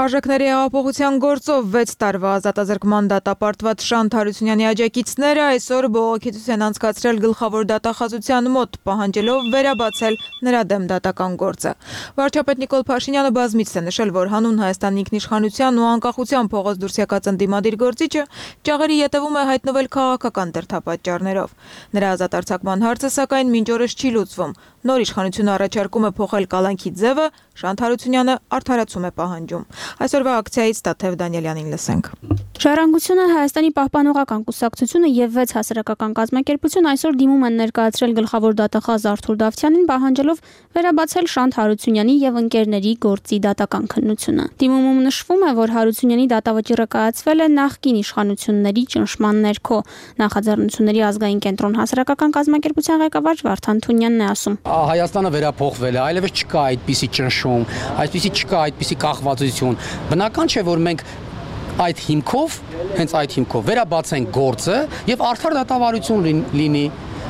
Արժեքների հեղափոխության գործով 6 տարվա ազատազրկման դատապարտված Շանթ Հարությունյանի աջակիցները այսօր բողոքություն են անցկացրել գլխավոր դատախազության մոտ, պահանջելով վերաբացել նրա դեմ դատական գործը։ Վարչապետ Նիկոլ Փաշինյանը բազմիցս է նշել, որ հանուն Հայաստանի ինքնիշխանության ու անկախության փողոց դուրս եկած ընդդիմադիր գործիչը ճաղերի ետևում է հայտնվել քաղաքական դրդապատճառներով։ Նրա ազատարձակման հարցը սակայն մինչ օրս չի լուծվում։ Նոր իշխանությունը առաջարկում է փոխել կալանքի ձևը, Շանթ Հարությունյանը արդարացում է պահանջում։ Այսօրվա ակցիայից Տաթև Դանիելյանին լսենք։ Ժառանգությունը, Հայաստանի պահպանողական կուսակցությունը եւ 6 հասարակական կազմակերպություն այսօր դիմում են ներկայացրել գլխավոր դատախազ Արթուր Դավթյանին, պահանջելով վերաբացել Շանթ Հարությունյանի եւ ընկերների գործի դատական քննությունը։ Դիմումում նշվում է, որ Հարությունյանի դատավճիռը կայացվել է նախկին իշխանությունների ճնշման ներքո։ Նախաձեռնությունների ազգային կենտրոն հասարակական կազմակերպության ղեկավար Վարդան Թունյանն է ասում. Հայաստանը վերափոխվել է, այլևս չկա այդպիսի ճնշում, չկա այդպիսի կախվածություն։ Բնական չէ, որ մենք այդ հիմքով, հենց այդ հիմքով վերաբացենք գործը եւ արդար դատավարություն լինի։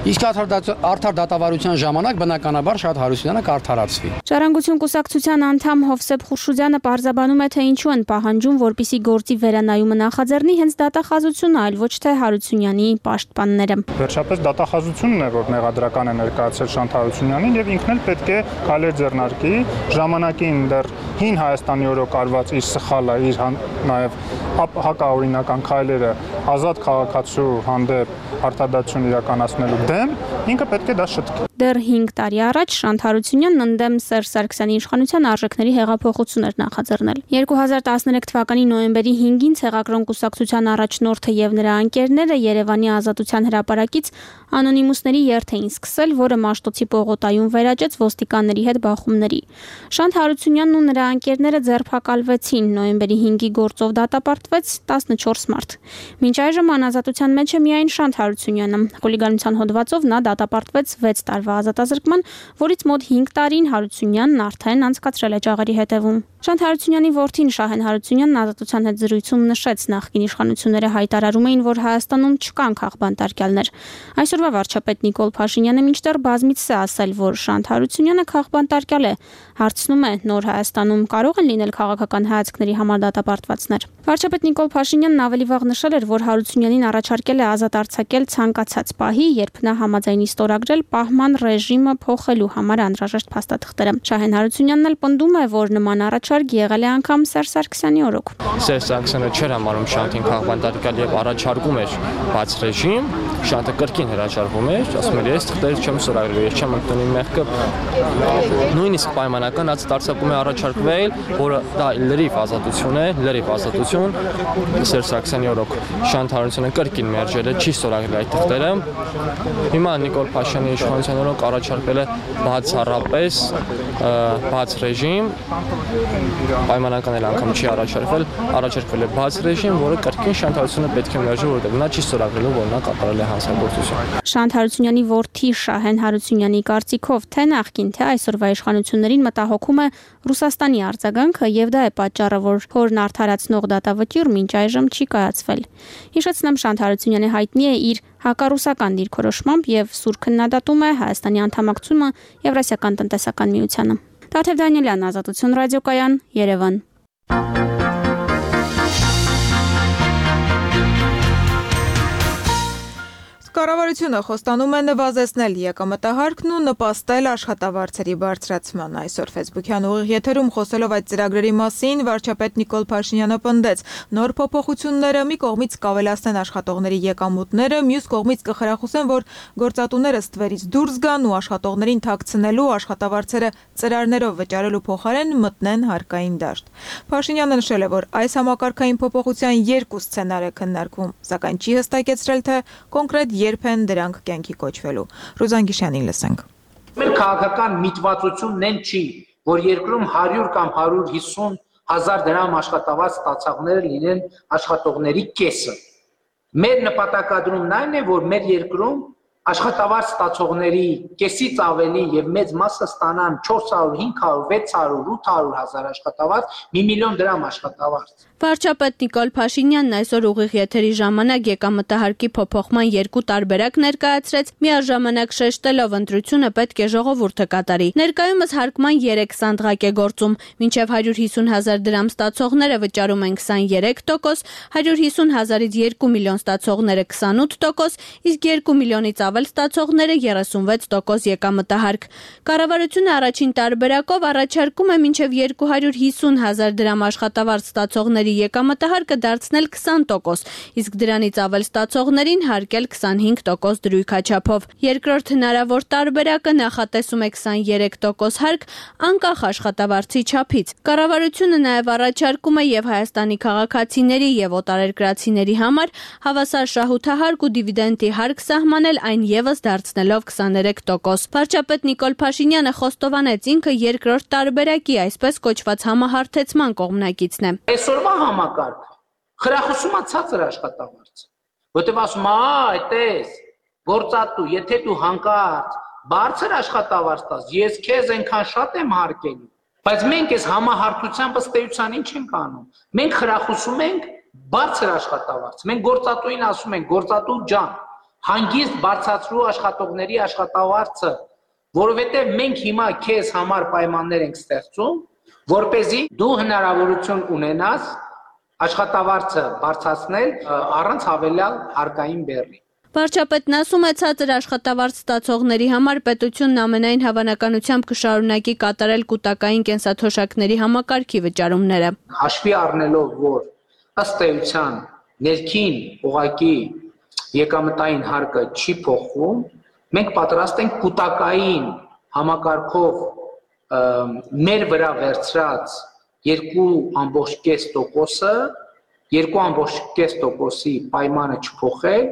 Իսկ արդար դատավարության ժամանակ բնականաբար Շանթ Հարությունյանը կարդարացվի։ Ժառանգություն կուսակցության անդամ Հովսեփ Խուրշուդյանը պարզաբանում է, թե ինչու են պահանջում, որպիսի գործի վերանայումը նախաձեռնի հենց դատախազությունը, այլ ոչ թե Հարությունյանի պաշտպանները։ Վերջապես դատախազությունն է, որ մեղադրական է ներկայացել Շանթ Հարությունյանին եւ ինքն էլ պետք է քայլեր ձեռնարկի, ժամանակին դեռ հին Հայաստանի օրոք արված իր սխալը, իր նաեւ հակաօրինական քայլերը ազատ քաղաքացու հանդեպ արտադատություն իրականացնելու դեմ ինքը պետք է դա շտկի։ Դեռ 5 տարի առաջ Շանթ Հարությունյանն ընդդեմ Սերժ Սարգսյանի իշխանության արժեքների հեղափոխություն էր նախաձեռնել։ 2013 թվականի նոյեմբերի 5-ին Ցեղակրոն կուսակցության առաջնորդը եւ նրա անկերները Երևանի Ազատության հրապարակից անոնիմուսների երթ էին սկսել, որը Մաշտոցի պողոտայում վերաճեց ոստիկանների հետ բախումների։ Շանթ Հարությունյանն ու նրա անկերները ձերբակալվեցին, նոյեմբերի 5-ի գործով դատապարտվեց 14 մարդ։ Մինչ այժմ անազատության մեջ է միայն Շանթ Հարությունյանը։ Խուլիգանության հոդվածով նա դատապարտվեց 6 տարվա ազատազրկման, որից մոտ 5 տարին Հարությունյանն արդեն անցկացրել է ճաղերի հետևում։ Շանթ Հարությունյանի որդին Շահեն Հարությունյանն ազատության հետ զրույցում նշեց, նախկին իշխանությունները հայտարարում էին, որ Հայաստանում չկան քաղբանտարկյալներ։ Այսօրվա վարչապետ Նիկոլ Փաշինյանը մինչդեռ բազմիցս է ասել, որ Շանթ Հարությունյանը քաղբանտարկյալ է։ Հարցնում է, նոր Հայաստանում կարող են լինել քաղաքական հայացքների համար դատապարտվածներ։ Վարչապետ Նիկոլ Փաշինյանն ավելի վաղ նշել էր, որ Հարությունյանին առաջարկել է ազատ արձակել ցանկացած պահի, երբ նա համաձայնի ստորագրել պահման ռեժիմը փոխելու համար անհրաժեշտ փաստաթղթերը։ Շահեն Հարությունյանն էլ պնդում է, որ նման առաջարկ եղել է անգամ Սերժ Սարգսյանի օրոք։ Սերժ Սարգսյանը չէր համարում Շանթին քաղբանտարկյալ եւ առաջարկում էր բաց ռեժիմ, Շանթը կրկին հրաժարվում էր, ասում էր, ես թղթեր չեմ ստորագրել, ես չեմ ընդունում մեղքը։ Նույնիսկ պայմանական ազատ արձակում է առաջարկվել, որը դա լրիվ ազատություն է, լրիվ ազատություն։ Սերժ Սարգսյանի օրոք Շանթ Հարությունյանը կրկին մերժել է, չի ստորագրել այդ թղթերը։ Հիմա Նիկոլ Փաշինյանի իշխանության օրոք առաջարկվել է բացառապես բաց ռեժիմ, պայմանական էլ անգամ չի առաջարկվել է բաց ռեժիմ, որը կրկին Շանթ Հարությունյանը պետք է մերժի, որովհետև նա չի ստորագրելու, որ նա կատարել է հանցագործություն։ Շանթ Հարությունյանի որդի Շահեն Հարությունյանի կարծիքով թե նախկին, թե այսօրվա իշխանություններին մտահոգում է Ռուսաստանի արձագանքը եւ դա է պատճառը, որ հորն արդարացնող դատավճիռ մինչ այժմ չի կայացվել։ Հիշեցնեմ, Շանթ Հարությունյանը հայտնի է իր հակառուսական դիրքորոշմամբ եւ սուր քննադատում է Հայաստանի անդամակցումը Եվրասիական տնտեսական միությանը։ Տաթև Դանիելյան, Ազատություն ռադիոկայան, Երևան։ Կառավարությունը խոստանում է նվազեցնել եկամտահարկն ու նպաստել աշխատավարձերի բարձրացման։ Այսօր Facebook-յան ուղիղ եթերում խոսելով այդ ծրագրերի մասին վարչապետ Նիկոլ Փաշինյանը պնդեց, նոր փոփոխությունները մի կողմից կավելացնեն աշխատողների եկամուտները, մյուս կողմից կխրախուսեն, որ գործատուները ստվերից դուրս գան ու աշխատողներին թաքցնելու աշխատավարձերը ծրարներով վճարելու փոխարեն մտնեն հարկային դաշտ։ Փաշինյանը նշել է, որ այս համակարգային փոփոխության 2 սցենար է քննարկվում, սակայն չի հստակեցրել, թե կոնկրետ երբ են դրանք կյանքի կոչվելու։ Ռուզան Գիշյանին լսենք։ Մեր քաղաքական միտվածությունն են չի, որ երկրում 100 կամ 150 հազար դրամ աշխատավարձ ստացողները լինեն աշխատողների կեսը։ Մեր նպատակադրումն այն է, որ մեր երկրում աշխատավարձ ստացողների կեսից ավելի եւ մեծ մասը ստանան 400, 500, 600, 800 հազար աշխատավարձ, 1 միլիոն դրամ աշխատավարձ։ Վարչապետ Նիկոլ Փաշինյանն այսօր ուղիղ եթերի ժամանակ եկամտահարկի փոփոխման երկու տարբերակ ներկայացրեց, միաժամանակ շեշտելով ընտրությունը պետք է ժողովուրդը կատարի։ Ներկայումս հարկման 3 սանդղակ է գործում, մինչև 150 հազար դրամ ստացողները վճարում են 23%, 150 հազարից 2 միլիոն ստացողները 28%, իսկ 2 միլիոնից ավել ստացողները 36% եկամտահարկ։ Կառավարությունը առաջին տարբերակով առաջարկում է մինչև 250 հազար դրամ աշխատավարձ ստացողների եկամտահարկը դարձնել 20%, իսկ դրանից ավել ստացողներին հարկել 25% դրույքաչափով։ Երկրորդ հնարավոր տարբերակը նախատեսում է 23% հարկ անկախ աշխատավարձի չափից։ Կառավարությունը նաև առաջարկում է եւ Հայաստանի քաղաքացիների եւ օտարերկրացիների համար հավասար շահութահարկ ու դիվիդենդի հարկ սահմանել, այն եւս դարձնելով 23%։ Վարչապետ Նիկոլ Փաշինյանը խոստովանեց ինքը երկրորդ տարբերակի, այսպես կոչված համահարթեցման կողմնակիցն է։ Այսօրվա համակարգը խրախուսում է ցածր աշխատավարձ, որտեղ ասում է, այտես, գործատու, եթե դու հանկարծ բարձր աշխատավարձ տաս, ես քեզ այնքան շատ եմ հարկելու, բայց մենք այս համահարթությամբ ըստ էության ինչ ենք անում։ Մենք խրախուսում ենք բարձր աշխատավարձ։ Մենք գործատուին ասում ենք, գործատու ջան, հանգիստ բարձրացրու աշխատողների աշխատավարձը, որովհետև մենք հիմա քեզ համար պայմաններ ենք ստեղծում, որպեսզի դու հնարավորություն ունենաս աշխատավարձը բարձրացնել առանց հավելյալ հարկային բեռի։ Վարչապետն ասում է, ցածր աշխատավարձ ստացողների համար պետությունն ամենայն հավանականությամբ կշարունակի կատարել կൂട്ടակային կենսաթոշակների համակարգի վճարումները։ Հաշվի առնելով, որ ըստ էության ներքին ուղղակի եկամտային հարկը չի փոխվում, մենք պատրաստ ենք կൂട്ടակային համակարգով մեր վրա վերցրած 2.5%-ը 2.5%-ի պայմանը չփոխել։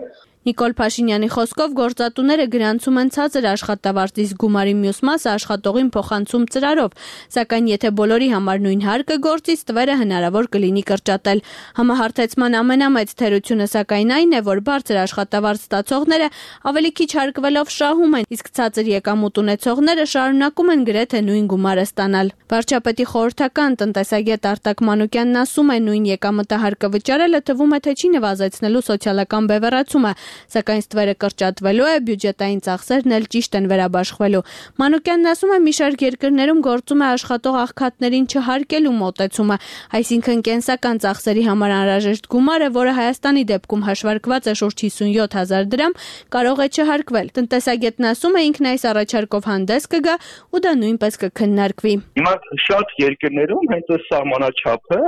Նիկոլ Փաշինյանի խոսքով գործատուները գրանցում են ցածր աշխատավարձ, իսկ գումարի մյուս մասը աշխատողին փոխանցում ծրարով, սակայն եթե բոլորի համար նույն հարկը գործի, ստվերը հնարավոր կլինի կրճատել։ Համահարթեցման ամենամեծ թերությունը սակայն այն է, որ բարձր աշխատավարձ ստացողները ավելի քիչ հարկվելով շահում են, իսկ ցածր եկամուտ ունեցողները շարունակում են գրեթե նույն գումարը ստանալ։ Վարչապետի խորհրդական տնտեսագետ Արտակ Մանուկյանն ասում է, նույն եկամտահարկը վճարելը թվում է, թե չի նվազեցնելու սոցիալական բևեռացումը, սակայն ստվերը կրճատվելու է, բյուջետային ծախսերն էլ ճիշտ են վերաբաշխվելու։ Մանուկյանն ասում է, մի շարք երկրներում գործում է աշխատող աղքատներին չհարկելու մոտեցումը, այսինքն կենսական ծախսերի համար անհրաժեշտ գումարը, որը Հայաստանի դեպքում հաշվարկված է շուրջ 57 հազար դրամ, կարող է չհարկվել։ Տնտեսագետն ասում է, ինքն այս առաջարկով հանդես կգա ու դա նույնպես կքննարկվի։ Հիմա շատ երկրներում հենց այս սահմանաչափը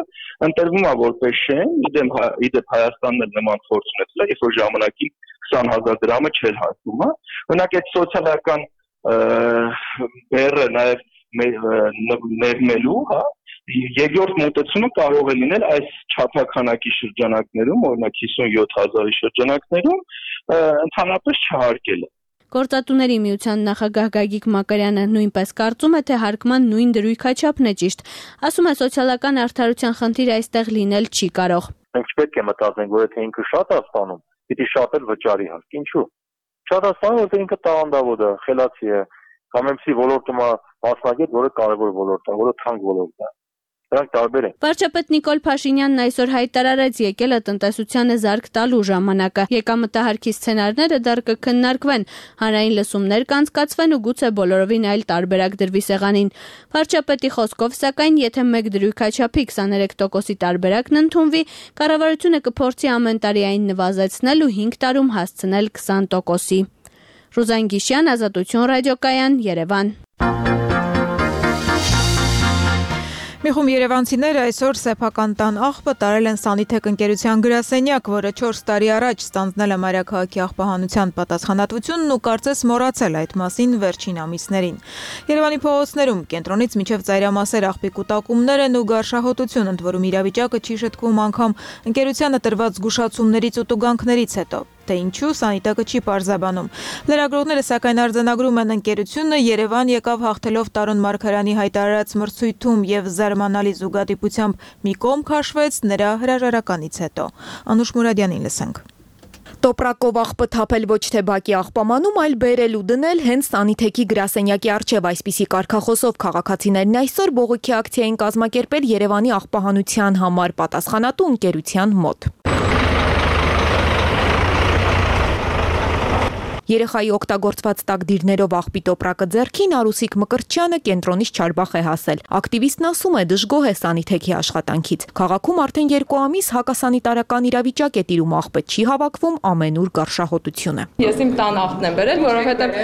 ընտրվում է որպես շեմ, իդեպ Հայաստանն էլ նման փորձ ունեցել, երբ որ ժամանակին 20 հազար դրամը չէր հարկում, օրինակ այդ սոցիալական բեռը նաև ներմելու, երկրորդ մոտեցումը կարող է լինել այս չափականակի շրջանակներում, օրինակ 57 հազարի շրջանակներում ընդհանրապես չհարկելը։ Գործատուների միության նախագահ Գագիկ Մակարյանը նույնպես կարծում է, թե հարկման նույն դրույքաչափն է ճիշտ։ Ասում է, սոցիալական արդարության խնդիր այստեղ լինել չի կարող։ Մենք չպետք է մտածենք, որ եթե ինքը շատ է ստանում, պիտի շատ էլ վճարի հարկ։ Ինչու՞։ Շատ է ստանում, որ ինքը տաղանդավոր է, խելացի է, կամ MC ոլորտում է մասնագետ, որը կարևոր ոլորտ է, որը թանկ ոլորտ է։ Դրանք տարբեր են։ Վարչապետ Նիկոլ Փաշինյանն այսօր հայտարարեց եկելը տնտեսությանը զարկ տալու ժամանակը։ Եկամտահարկի սցենարները դեռ կքննարկվեն, հանրային լսումներ կանցկացվեն ու գուցե բոլորովին այլ տարբերակ դրվի սեղանին։ Վարչապետի խոսքով, սակայն, եթե մեկ դրույքաչափի 23%-ի տարբերակն ընդունվի, կառավարությունը կփորձի ամեն տարի այն նվազեցնել ու 5 տարում հասցնել 20%-ի։ Ռուզան Գիշյան, Ազատություն ռադիոկայան, Երևան։ Մի խումբ երևանցիներ այսօր սեփական տան աղբը տարել են Սանիթեք ընկերության գրասենյակ, որը 4 տարի առաջ ստանձնել է Մայրաքաղաքի աղբահանության պատասխանատվությունն ու կարծես մոռացել այդ մասին վերջին ամիսներին։ Երևանի փողոցներում կենտրոնից մինչև ծայրամասեր աղբի կուտակումներ են ու գարշահոտություն, ընդ որում իրավիճակը չի շտկվում անգամ ընկերությանը տրված զգուշացումներից ու տուգանքներից հետո։ Թե ինչու Սանիտակը չի պարզաբանում։ Լրագրողները սակայն արձանագրում են ընկերությունը Երևան եկավ հաղթելով Տարոն Մարգարյանի հայտարարած մրցույթում եւ զարմանալի զուգադիպությամբ մի կողմ քաշվեց նրա հրաժարականից հետո։ Անուշ Մուրադյանին լսենք։ Տոպրակով աղբը թափել ոչ թե բակի աղբամանում, այլ բերել ու դնել հենց Սանիթեքի գրասենյակի առջև այսպիսի կարգախոսով քաղաքացիներն այսօր բողոքի ակցիա են կազմակերպել Երևանի աղբահանության համար պատասխանատու ընկերության մոտ։ Երեխայի օգտագործված տակդիրներով աղբի տոպրակը ձեռքին Արուսիկ Մկրտչյանը կենտրոնից Չարբախ է հասել։ Ակտիվիստն ասում է դժգոհ է Սանիթեքի աշխատանքից։ Քաղաքում արդեն 2 ամիս հակասանիտարական իրավիճակ է տիրում, աղբը չի հավաքվում, ամենուր գարշահոտություն է։ Ես իմ տան աղբն եմ բերել, որովհետև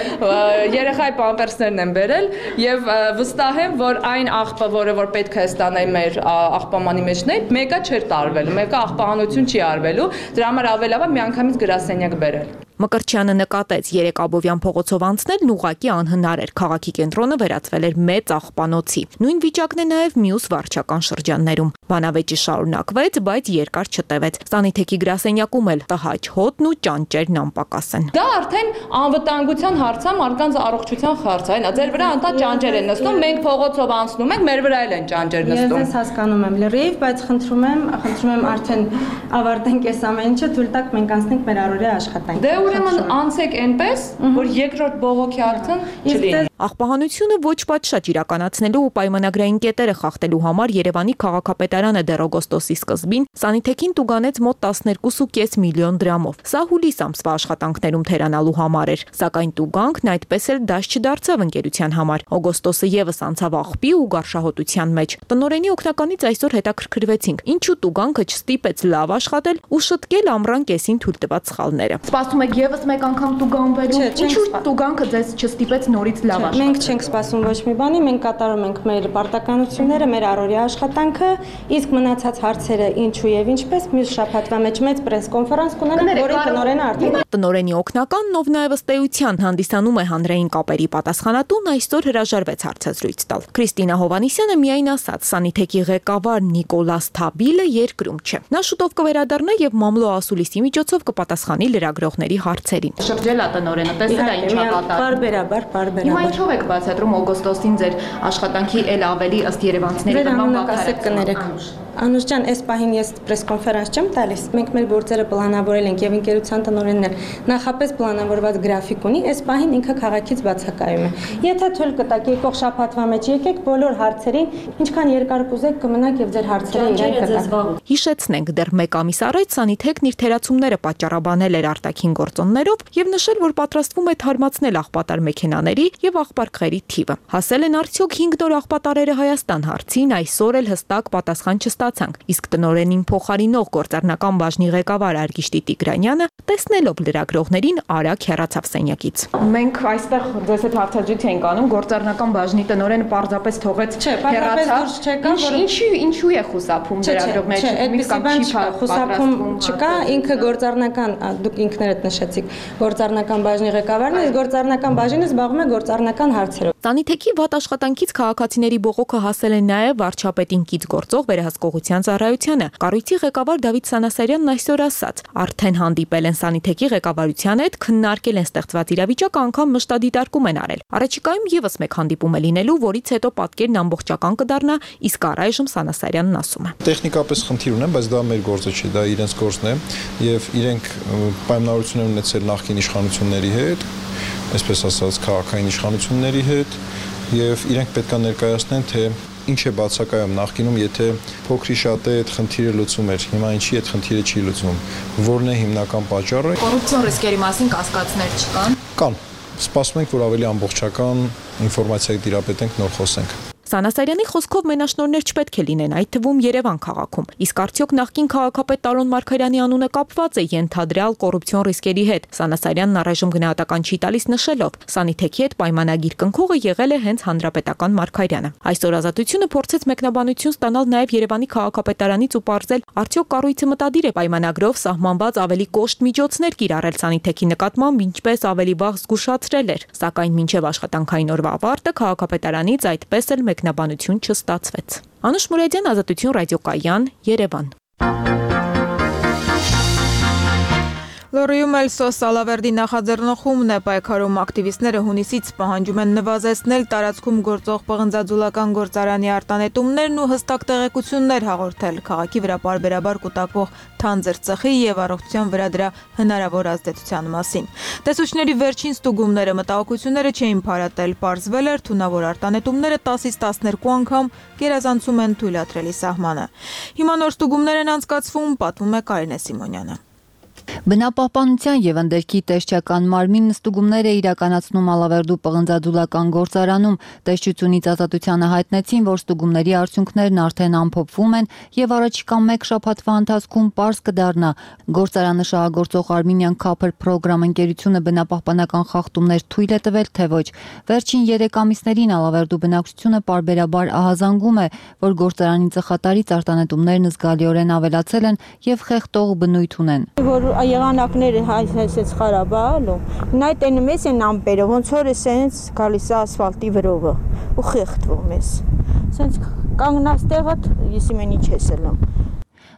երեխայի պամպերսներն եմ բերել եւ վստահ եմ, որ այն աղբը, որը որ պետք է ստանայի մեր աղբամանի մեջն է, մեկը չէր տարվելու, մեկը աղբահանություն չի արվելու, դրա համար ավելի լավ է միանգամից գրասենյակ բերել։ Մկրտչյանը նկատեց 3 Աբովյան փողոցով անցնելն ուղղակի անհնար էր, քաղաքի կենտրոնը վերածվել էր մեծ աղբանոցի։ Նույն վիճակն է նաև մյուս վարչական շրջաններում։ Բանավեճը շարունակվեց, բայց երկար չտևեց։ Սանիթեքի գրասենյակում էլ տհաճ հոտն ու ճանճերն անպակաս են։ Դա արդեն անվտանգության հարց է, մարդկանց առողջության հարց է, ձեր վրա անտա ճանճեր են նստում, մենք փողոցով անցնում ենք, մեր վրա էլ են ճանճեր նստում։ Ես հասկանում եմ լրիվ, բայց խնդրում եմ արդեն ավարտենք այս ամեն ինչը, թույլ տաք մենք անցնենք մեր առօրյա աշխատանքը։ Ուրեմն անցեք այնպես, որ երկրորդ բողոքի ակցիան չլինի։ Աղբահանությունը ոչ պատշաճ իրականացնելու ու պայմանագրային կետերը խախտելու համար Երևանի քաղաքապետարանը դեռ օգոստոսի սկզբին Սանիթեքին տուգանեց մոտ 12.5 միլիոն դրամով։ Սա հուլիս ամսվա աշխատանքներում թերանալու համար էր, սակայն տուգանքն այդպես էլ դաշ չդարձավ ընկերության համար։ Օգոստոսը եւս անցավ աղբի ու գարշահոտության մեջ։ Տնօրենի օգնականից այսօր հետաքրքրվեցինք, ինչու տուգանքը չստիպեց լավ աշխատել ու շտկել ամռան կեսին թույլ տված սխալները։ Սպասում եք եւս մեկ անգամ տուգանվելու։ Ինչու տուգանքը ձեզ չստիպեց նորից լավ աշխատել։ Մենք չենք սպասում ոչ մի բանի, մենք կատարում ենք մեր պարտականությունները, մեր առօրյա աշխատանքը, իսկ մնացած հարցերը ինչու եւ ինչպես մյուս շաբաթվա մեջ մեծ պրես-կոնֆերանս կունենանք, որի տնօրենը արդեն Տնօրենի օգնականն, ով նաև ըստ էության հանդիսանում է հանրային կապերի պատասխանատուն, այսօր հրաժարվեց հարցազրույց տալ։ Քրիստինա Հովանիսյանը միայն ասաց, Սանիթեքի ղեկավար Նիկոլաս Թաբիլը երկրում չէ։ Նա շուտով կվերադառնա եւ մամլո ասուլիսի միջոցով կպատասխանի լրագրողների հարցերին։ Շրջելա տնօրենը, տեսել է ինչա կատարվում։ Բարբերաբար։ Ինչով եք բացատրում օգոստոսին ձեր աշխատանքի էլ ավելի ըստ երևանցիների նման վաղ Անուշ ջան, այս պահին ես պրես-կոնֆերանս չեմ տալիս։ Մենք մեր գործերը պլանավորել ենք եւ ընկերության տնօրենն էլ նախապես պլանավորված գրաֆիկ ունի, այս պահին ինքը քաղաքից բացակայում է։ Եթե թույլ կտաք եկող շաբաթվա մեջ եկեք բոլոր հարցերին, ինչքան երկար կուզեք կմնաք եւ ձեր հարցերը իրեն կտակ։ Հիշեցնենք, դեռ 1 ամիս առաջ Սանիթեքն իր թերացումները պատճառաբանել էր արտաքին գործոններով եւ նշել, որ պատրաստվում է թարմացնել աղբատար մեքենաների եւ աղբարկղերի թիվը։ Հասել են արդյոք 5 նոր աղբատարերը Հայաստան հարցին, այսօր էլ հստակ պատասխան չստացանք, իսկ տնօրենին փոխարինող գործառնական բաժնի ղեկավար Արգիշտի Տիգրանյանը, տեսնելով լրագրողներին, արագ հեռացավ սենյակից։ Մենք այստեղ ձեզ հետ հարցազրույց ենք անում, գործառնական բաժնի տնօրենը պարզապես թողեց հեռացավ։ Ինչու է խուսափում լրագրողներից կամ չի խուսափում չկա, ինքը գործառնական, դուք ինքներդ նշեցիք, գործառնական բաժնի ղեկավարն է, գործառնական բաժինը զբաղվում է գործառնական հարցերով։ Սանիթեքի վատ աշխատանքից քաղաքացիների բողոքը հասել է նաև վարչապետին կից գործող վերահսկողության ծառայությանը։ Կառույցի ղեկավար Դավիթ Սանասարյանն այսօր ասաց, արդեն հանդիպել են Սանիթեքի ղեկավարության հետ, քննարկել են ստեղծված իրավիճակը, անգամ մշտադիտարկում են արել։ Առաջիկայում եւս մեկ հանդիպում է լինելու, որից հետո պատկերն ամբողջական կդառնա, իսկ առայժմ Սանասարյանն ասում է. Տեխնիկապես խնդիր ունեմ, բայց դա մեր գործը չի, դա իրենց գործն է եւ իրենք պայմանավորություն են ունեցել նախկին իշխանությունների հետ, այսպես ասած քաղաքային իշխանությունների հետ եւ իրենք պետք է ներկայացնեն, թե ինչ է բացակայում նախկինում, եթե փոքրի շատ է այդ խնդիրը լուծում էր, հիմա ինչի այդ խնդիրը չի լուծվում, որն է հիմնական պատճառը։ Կոռուպցիոն ռիսկերի մասին կասկածներ չկան։ Կան։ Սպասում ենք, որ ավելի ամբողջական ինֆորմացիա դիրապետենք, նոր խոսենք։ Սանասարյանի խոսքով մենաշնորհներ չպետք է լինեն, այդ թվում Երևան քաղաքում։ Իսկ արդյոք նախկին քաղաքապետ Տարոն Մարգարյանի անունը կապված է ենթադրյալ կոռուպցիոն ռիսկերի հետ։ Սանասարյանն առայժմ գնահատական չի տալիս նշելով. Սանիթեքի հետ պայմանագիր կնքողը եղել է հենց հանրապետական Մարգարյանը։ Այսօր Ազատությունը փորձեց մեկնաբանություն ստանալ նաև Երևանի քաղաքապետարանից ու պարզել, արդյոք կառույցը մտադիր է պայմանագրով սահմանված ավելի կոշտ միջոցներ կիրառել Սանիթեքի նկատմամբ, ինչպես ավելի վաղ զգուշացրել էր։ Սակայն մինչև աշխատանքային օրվա ավարտը քաղաքապետարանից այդպես էլ մեկնաբանություն չստացվեց։ Անուշ Մուրադյան, Ազատություն ռադիոկայան, Երևան։ Լոռիում էլ Սոս Սալավերդի նախաձեռնողումն է պայքարում ակտիվիստները հունիսից պահանջում են նվազեցնել տարածքում գործող պղնձաձուլական գործարանի արտանետումներն ու հստակ տեղեկություններ հաղորդել քաղաքի վրա պարբերաբար կուտակվող թանձր ծխի եւ առողջության վրա դրա հնարավոր ազդեցության մասին։ Տեսուչների վերջին ստուգումները մտահոգությունները չէին փարատել, պարզվել էր թունավոր արտանետումները 10-ից 12 անգամ գերազանցում են թույլատրելի սահմանը։ Հիմա նոր ստուգումներ են անցկացվում, պատմում է Կարինե Սիմոնյանը։ Բնապահպանության եւ ընդերքի տեսչական մարմինն ստուգումներ է իրականացնում Ալավերդու պղնձաձուլական գործարանում։ Տեսչությունից ազատությանը հայտնեցին, որ ստուգումների արդյունքներն արդեն ամփոփվում են եւ առաջիկա 1 շաբաթվա ընթացքում պարզ կդառնա։ Գործարանը շահագործող Armenian Copper Program ընկերությունը բնապահպանական խախտումներ թույլ է տվել, թե ոչ։ Վերջին 3 ամիսներին Ալավերդու բնակչությունը պարբերաբար ահազանգում է, որ գործարանի ծխատարից արտանետումներն զգալիորեն ավելացել են եւ խեղդող բնույթ ունեն։ Եղանակները հայսեցեց խարաբալու, նայ տենում ես են ամպերը, ոնց որ է սենց գալիս է ասֆալտի վրովը ու խեղդվում ես, սենց կանգնած տեղդ ես իմեն ինչ ես ելում։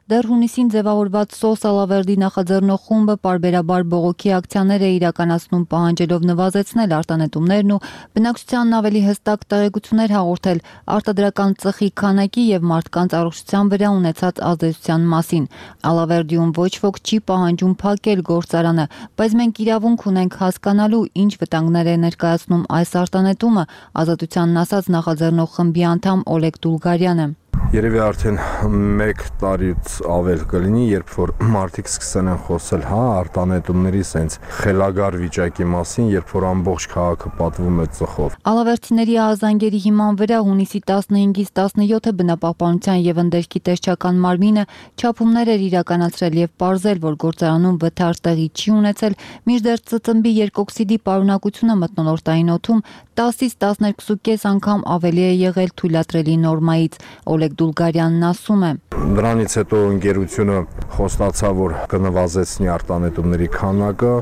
Դեռ հունիսին ձևավորված Սոս Սալավերդի նախաձեռնող խումբը պարբերաբար բողոքի ակցիաներ է իրականացնում պահանջելով նվազեցնել արտանետումներն ու բնակչությանն ավելի հստակ տեղեկություններ հաղորդել արտադրական ծխի քանակի եւ մարդկանց առողջության վրա ունեցած ազդեցության մասին։ Ալավերդիում ոչ ոք չի պահանջում փակել գործարանը, բայց մենք իրավունք ունենք հասկանալու ինչ վտանգներ է ներկայացնում այս արտանետումը, ազատությանն ասաց նախաձեռնող խմբի անդամ Օլեգ Դուլգարյանը։ Երևի արդեն 1 տարից ավել կլինի, երբ որ մարդիկ սկսեն են խոսել, արտանետումների սենց խելագար վիճակի մասին, երբ որ ամբողջ քաղաքը պատվում է ծխով։ Ալավերդիների ահազանգերի հիման վրա հունիսի 15-ից 17-ը բնապահպանության եւ ընդերքի տեսչական մարմինը չափումներ էր իրականացրել եւ պարզել, որ գործարանում վթար տեղի չի ունեցել, մինչդեռ ծծմբի երկօքսիդի պարունակությունը մթնոլորտային օդում 10-ից 12.5 անգամ ավելի է եղել թույլատրելի նորմայից։ Օլեգ Դուլգարյանն ասում է. Դրանից հետո ընկերությունը խոստացավ, որ կնվազեցնի արտանետումների քանակը,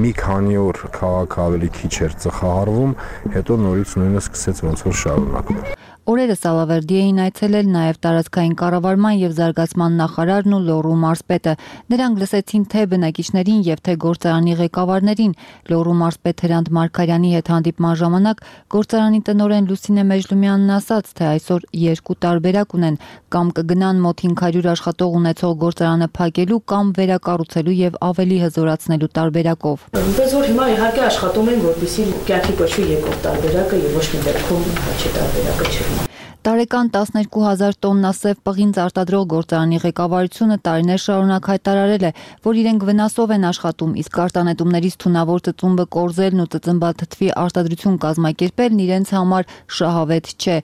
մի քանի օր քաղաքը ավելի քիչ էր ծխահարվում, հետո նորից նույնը սկսեց ոնց որ շարունակվել։ Օրերս Ալավերդի էին այցելել նաև տարածքային կառավարման եւ զարգացման նախարարն ու Լոռու մարզպետը։ Նրանք լսեցին թե բնակիչներին եւ թե գործարանի ղեկավարներին։ Լոռու մարզպետ Հրանտ Մարգարյանի հետ հանդիպման ժամանակ գործարանի տնօրեն Լուսինե Մեժլումյանն ասաց, թե այսօր 2 տարբերակ ունեն, կամ կգնան մոտ 500 աշխատող ունեցող գործարանը փակելու կամ վերակառուցելու եւ ավելի հզորացնելու տարբերակով։ Այնպես որ հիմա իհարկե աշխատում են, որպեսզի կյանքի կոչվի երկրորդ տարբերակը եւ ոչ մի դեպքում հաճի տարբերակը չէ։ Տարեկան 12,000 տոննա սև պղինձ արտադրող գործարանի ղեկավարությունը տարիներ շարունակ հայտարարել է, որ իրենք վնասով են աշխատում, իսկ արտանետումներից թունավոր ծծումբը կորզելն ու ծծմբաթթվի արտադրություն կազմակերպելն իրենց համար շահավետ չէ։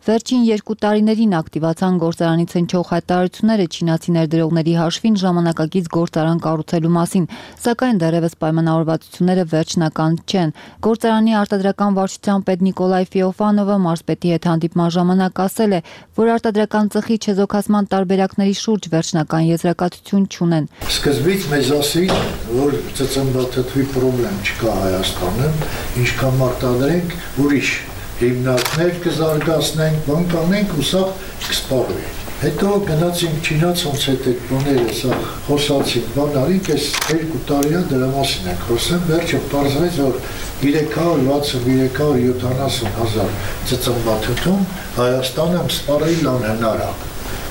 Վերջին 2 տարիներին ակտիվացան գործարանից հնչող հայտարարությունները չինացի ներդրողների հաշվին ժամանակակից գործարան կառուցելու մասին, սակայն դեռևս պայմանավորվածությունները վերջնական չեն։ Գործարանի արտադրական վարչության պետ Նիկոլայ Ֆեոֆանովը մարզպետի հետ հանդիպման ժամանակ ասել է, որ արտադրական ծխի չեզոքացման տարբերակների շուրջ վերջնական եզրակացություն չունեն։ Սկզբից մեզ ասին, որ ծծմբաթթվի խնդրեմ չկա Հայաստանում, ինչքան արտադրենք, ուրիշ հիմնարկներ կզարգացնենք, բան կանենք ու սա կսպառվի։ Հետո գնացինք չինաց ոնց հետ այդ բաները սա խոսացինք, բան արինք, այս 2 տարի դրա մասին ենք խոսում, վերջը պարզվեց, որ 360-370 հազար ծծմբաթթում Հայաստանը սպառել անհնար է,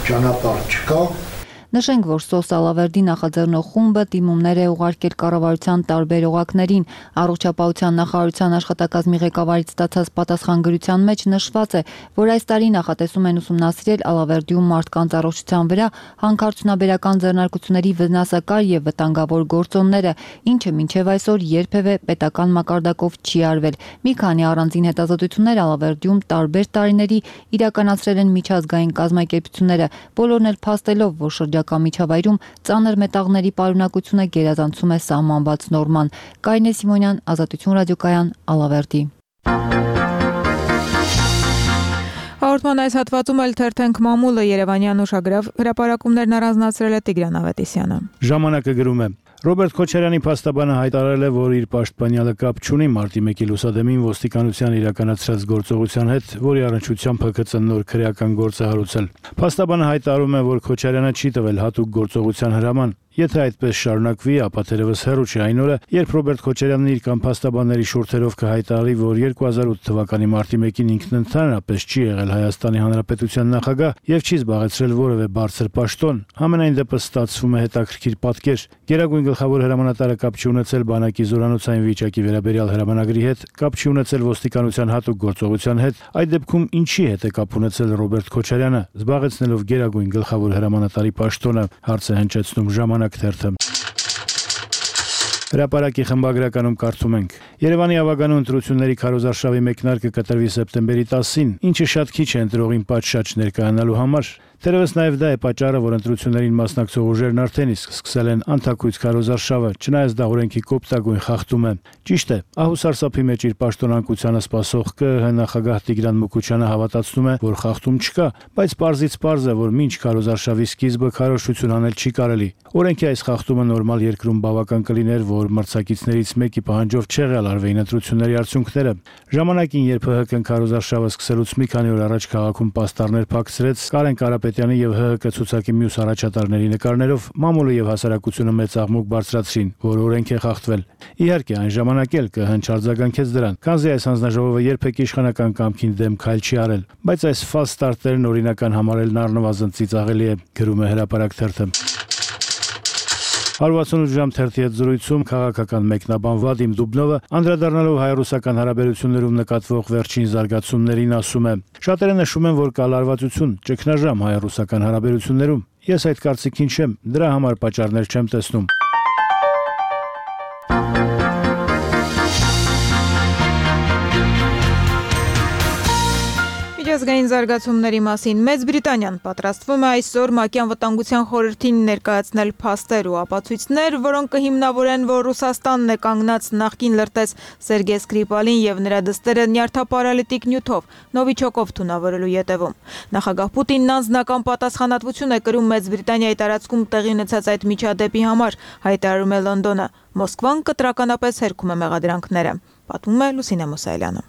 ճանապարհ չկա։ Նշենք, որ Սոս Սալավերդի նախաձեռնող խումբը դիմումներ է ուղարկել կառավարության տարբեր օղակներին։ Առողջապահության նախարարության աշխատակազմի ղեկավարից ստացած պատասխանագրության մեջ նշված է, որ այս տարի նախատեսում են ուսումնասիրել Ալավերդիում մարդկանց առողջության վրա հանքարդյունաբերական ձեռնարկությունների վնասակար եւ վտանգավոր գործոնները, ինչը մինչեւ այսօր երբևէ պետական մակարդակով չի արվել։ Մի քանի առանձին հետազոտություններ Ալավերդիում տարբեր տարիների իրականացրել են միջազգային կազմակերպությունները, բոլորն էլ փաստելով, որ շրջակա միջավայրում ծանր մետաղների պարունակությունը գերազանցում է սահմանված նորման։ Կարինե Սիմոնյան, Ազատություն ռադիոկայան, Ալավերդի։ Հաղորդման այս հատվածում էլ թերթենք մամուլը Երևանյան ուշագրավ հրապարակումներն առանձնացրել է Տիգրան Ավետիսյանը։ Ժամանակը գրում է. Ռոբերտ Քոչարյանի փաստաբանը հայտարարել է, որ իր պաշտպանյալը կապ չունի մարտի 1-ի լուսադեմին ոստիկանության իրականացրած գործողության հետ, որի առնչությամբ ՀԿՑ նոր քրեական գործ է հարուցել։ Փաստաբանը հայտարարում է, որ Քոչարյանը չի տվել հատուկ գործողության հրաման Եթե այդպես շարունակվի, ապա թերևս հեռու չէ այն օրը, երբ Ռոբերտ Քոչարյանն իր կամ փաստաբանների շուրթերով կհայտարարի, որ 2008 թվականի մարտի 1-ին ինքն ընդհանրապես չի եղել Հայաստանի Հանրապետության նախագահ եւ չի զբաղեցրել որևէ բարձր պաշտոն, համենայն դեպս ստացվում է հետաքրքիր պատկեր։ Գերագույն գլխավոր հրամանատարը կապ չի ունեցել բանակի զորանոցային վիճակի վերաբերյալ հրամանագրի հետ, կապ չի ունեցել ոստիկանության հատուկ գործողության հետ, այդ դեպքում ինչի հետ է կապ ունեցել Ռոբերտ Քոչարյանը, զբաղեցնելով գերագույն գլխավոր հրամանատարի պաշտոնը, հարց է հնչեցնում Ժամանակ թերթը։ Հրապարակի խմբագրականում կարդում ենք. Երևանի ավագանու ընտրությունների քարոզարշավի մեկնարկը կտրվի սեպտեմբերի 10-ին, ինչը շատ քիչ է ընտրողին պատշաճ ներկայանալու համար։ Թերևս նաև դա է պատճառը, որ ընտրություններին մասնակցող ուժերն արդեն իսկ սկսել են անթաքույց քարոզարշավը, չնայած դա օրենքի կոպտագույն խախտում է։ Ճիշտ է, ահուսարսափի մեջ իր պաշտոնանկությանը սպասող ԿԸՀ նախագահ Տիգրան Մուկուչյանը հավատացնում է, որ խախտում չկա, բայց պարզից պարզ է, որ մինչ քարոզարշավի սկիզբը քարոզչություն անել չի կարելի։ Օրենքի այս խախտումը նորմալ երկրում բավական կլիներ, որ մրցակիցներից մեկի պահանջով չեղյալ արվեին ընտրությունների արդյունքները։ Ժամանակին, երբ ՀՀԿ-ն քարոզարշավը սկսելուց մի քանի օր առաջ քաղաքում պաստառներ փակցրեց, Կարեն Կարապետյանի եւ ՀՀԿ ցուցակի մյուս առաջատարների նկարներով մամուլը եւ հասարակությունը մեծ աղմուկ բարձրացրին, որ օրենք է խախտվել։ Իհարկե, այն ժամանակ էլ ԿՀ-ն չարձագանքեց դրան, քանզի այս հանձնաժողովը երբեք իշխանական կամքին դեմ քայլ չի արել, բայց այս ֆալս ստարտերն օրինական համարելն առնվազն ծիծաղելի է, գրում է Հրապարակ թերթը։ 168 ժամ թերթի հետ զրույցում քաղաքական մեկնաբան Վադիմ Դուբնովը անդրադառնալով հայ-ռուսական հարաբերություններում նկատվող վերջին զարգացումներին ասում է. Շատերը նշում են, որ կա լարվածություն, ճգնաժամ հայ-ռուսական հարաբերություններում։ Ես այդ կարծիքին չեմ, դրա համար պատճառներ չեմ տեսնում։ Միջազգային զարգացումների մասին Մեծ Բրիտանիան պատրաստվում է այսօր ՄԱԿ-ի անվտանգության խորհրդին ներկայացնել փաստեր ու ապացույցներ, որոնք կհիմնավորեն, որ Ռուսաստանն է կանգնած նախկին լրտես Սերգեյ Սկրիպալին եւ նրա դստերը նյարդապարալիտիկ նյութով նովիչոկով թունավորելու յետևում։ Նախագահ Պուտինն անձնական պատասխանատվություն է կրում Մեծ Բրիտանիայի տարածքում տեղի ունեցած այդ միջադեպի համար, հայտարարում է Լոնդոնը։ Մոսկվան կտրականապես հերքում է մեղադրանքները, պատմում է Լուսինե Մուսայելյանը։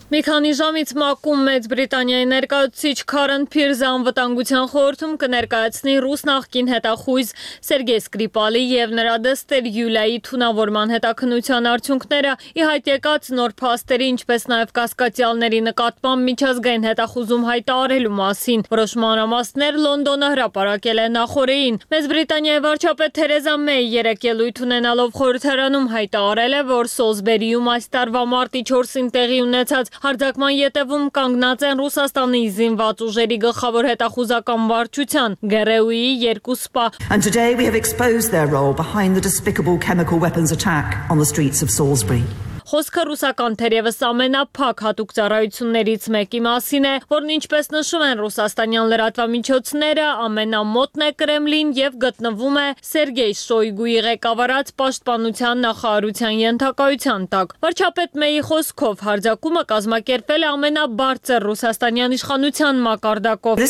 Մի քանի ժամից ՄԱԿ-ում Մեծ Բրիտանիայի ներկայացուցիչ Քարեն Փիրզը անվտանգության խորհրդում կներկայացնի ռուս նախկին հետախույզ Սերգեյ Սկրիպալի եւ նրա դստեր Յուլիայի թունավորման հետաքննության արդյունքները, ի հայտ եկած նոր փաստերի, ինչպես նաեւ կասկածյալների նկատմամբ միջազգային հետախուզում հայտարարելու մասին։ Որոշ մանրամասներ Լոնդոնը հրապարակել է նախորդին։ Մեծ Բրիտանիայի վարչապետ Թերեզա Մեյ երեկ ելույթ ունենալով խորհրդարանում հայտարարել է, որ Սոլսբերիում այս տարվա մարտի 4-ին տեղի ունեցած հարձակման ետևում կանգնած են Ռուսաստանի զինված ուժերի գլխավոր հետախուզական վարչության ԳՌՈՒ-ի երկու սպա։ And today we have exposed their role behind the despicable chemical weapons attack on the streets of Salisbury. Խոսքը ռուսական թերևս ամենափակ հատուկ ծառայություններից մեկի մասին է, որն ինչպես նշում են ռուսաստանյան լրատվամիջոցները, ամենամոտն է Կրեմլին եւ գտնվում է Սերգեյ Շոյգուի ղեկավարած պաշտպանության նախարարության ենթակայության տակ։ Վարչապետ Մեյի խոսքով հարձակումը կազմակերպվել է ամենաբարձր ռուսաստանյան իշխանության մակարդակով։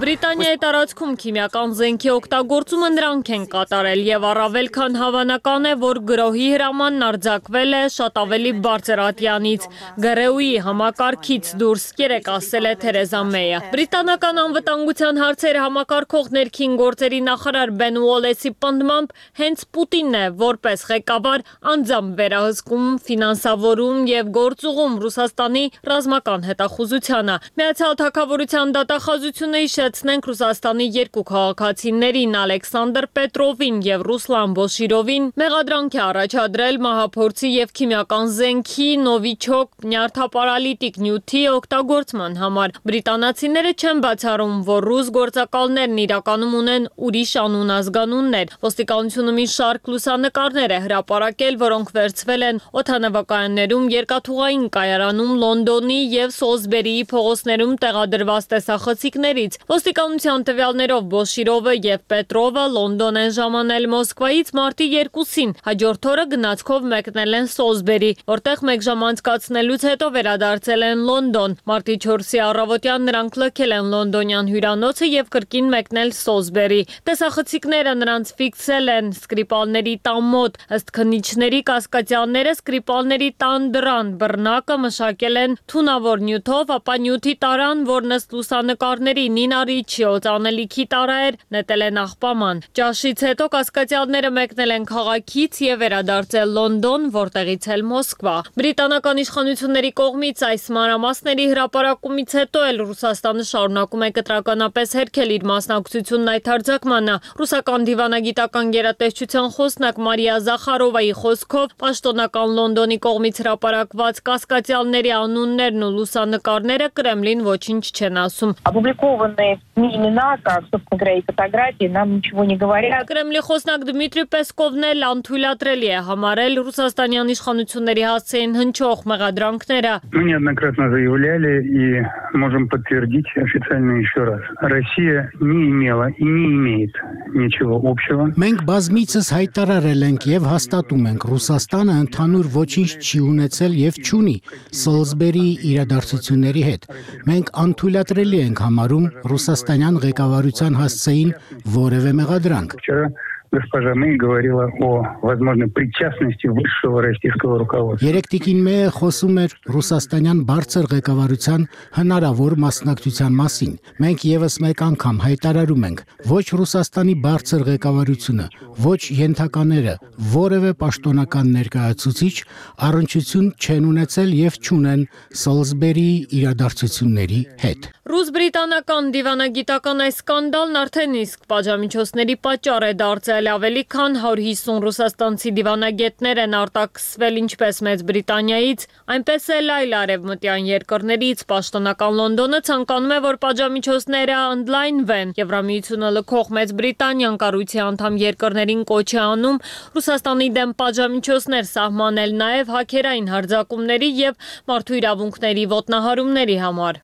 Բրիտանիայի տարածքում քիմիական զենքի օգտագործումը նրանք են կատարել եւ առավել քան հավանական է, որ գրոհի հրաման արձակվել է շատ ավելի բարձր ատյանից, ԳՌՈՒ-ի համակարգից դուրս, երեկ ասել է Թերեզա Մեյը։ Բրիտանական անվտանգության հարցեր համակարգող ներքին գործերի նախարար Բեն Ուոլեսի պնդմամբ հենց Պուտինն է որպես ղեկավար անձամբ վերահսկում, ֆինանսավորում եւ գործուղում Ռուսաստանի ռազմական հետախուզությանը։ Միացյալ Թագավորության դատախազությունը հիշեցնենք Ռուսաստանի երկու քաղաքացիներին Ալեքսանդր Պետրովին եւ Ռուսլան Բոշիրովին մեղադրանք է առաջադրել մահափորձի եւ քիմիական զենքի նովիչոկ նյարդապարալիտիկ նյութի օգտագործման համար։ Բրիտանացիները չեն բացառում, որ ռուս գործակալներն իրականում ունեն ուրիշ անուն ազգանուններ։ Ոստիկանությունը մի շարք լուսանկարներ է հրապարակել, որոնք վերցվել են օդանավակայաններում, երկաթուղային կայարանում, Լոնդոնի եւ Սոլսբերիի փողոցներում տեղադրված տեսախցիկներից։ Ոստիկանության տվյալներով Բոշիրովը եւ Պետրովը Լոնդոն են ժամանել Մոսկվայից մարտի 2-ին։ Հաջորդ օրը գնացքով ուղիղով մեկնել են Սոլսբերի, որտեղ մեկ ժամ անցկացնելուց հետո վերադարձել են Լոնդոն։ Մարտի 4-ի առավոտյան նրանք լքել են լոնդոնյան հյուրանոցը եւ կրկին մեկնել Սոլսբերի։ Տեսախցիկները նրանց ֆիքսել են Սկրիպալների տան մոտ։ Ըստ քննիչների կասկածյանները Սկրիպալների տան դռան բռնակը մշակել են թունավոր նյութով, ապա նյութի տարան, որն ըստ լուսանկարների Նինա Ռիչի օծանելիքի տարա էր, նետել են աղբաման։ Ճաշից հետո կասկածյալները մեկնել են քաղաքից եւ վերադարձել Լոնդոն, որտեղից էլ Մոսկվա։ Բրիտանական իշխանությունների կողմից այս մանրամասների հրապարակումից հետո էլ Ռուսաստանը շարունակում է կտրականապես հերքել իր մասնակցությունն այդ հարձակմանը։ Ռուսական դիվանագիտական գերատեսչության խոսնակ Մարիա Զախարովայի խոսքով պաշտոնական Լոնդոնի կողմից հրապարակված կասկածյալների անուններն ու լուսանկարները Կրեմլին ոչինչ չեն ասում։ Опубликованные имена, как, собственно говоря, и фотографии, нам ничего не говорят. Կրեմլի խոսնակ Դմիտրի Պեսկովն էլ անթույլատրելի է համարել ռուսաստանյան իշխանությունների հասցեին հնչող մեղադրանքները։ Мы неоднократно заявляли и можем подтвердить официально еще раз. Россия не имела и не имеет ничего общего. Մենք բազմիցս հայտարարել ենք եւ հաստատում ենք Ռուսաստանը ընդհանուր ոչինչ չի ունեցել եւ չունի Սոլսբերի իրադարձությունների հետ։ Մենք անթույլատրելի ենք համարում ռուսաստանյան ղեկավարության հասցեին որևէ մեղադրանք։ Госпожа Мэй говорила о возможной причастности высшего российского руководства. Երեք տիկին Մեյը խոսում էր ռուսաստանյան բարձր ղեկավարության հնարավոր մասնակցության մասին։ Մենք եւս մեկ անգամ հայտարարում ենք, ոչ Ռուսաստանի բարձր ղեկավարությունը, ոչ ենթակաները, որևէ պաշտոնական ներկայացուցիչ առնչություն չեն ունեցել եւ չունեն Սոլսբերի իրադարձությունների հետ։ Ռուս-բրիտանական դիվանագիտական այս սկանդալն արդեն իսկ պատժամիջոցների պատճառ է դարձել, ավելի քան 150 ռուսաստանցի դիվանագետներ են արտաքսվել ինչպես Մեծ Բրիտանիայից, այնպես էլ այլ արևմտյան երկրներից։ Պաշտոնական Լոնդոնը ցանկանում է, որ պատժամիջոցները ընդլայնվեն։ Եվրամիությունը լքող Մեծ Բրիտանիան կառույցի անդամ երկրներին կոչ է անում Ռուսաստանի դեմ պատժամիջոցներ սահմանել նաև հաքերային հարձակումների եւ մարդու իրավունքների ոտնահարումների համար։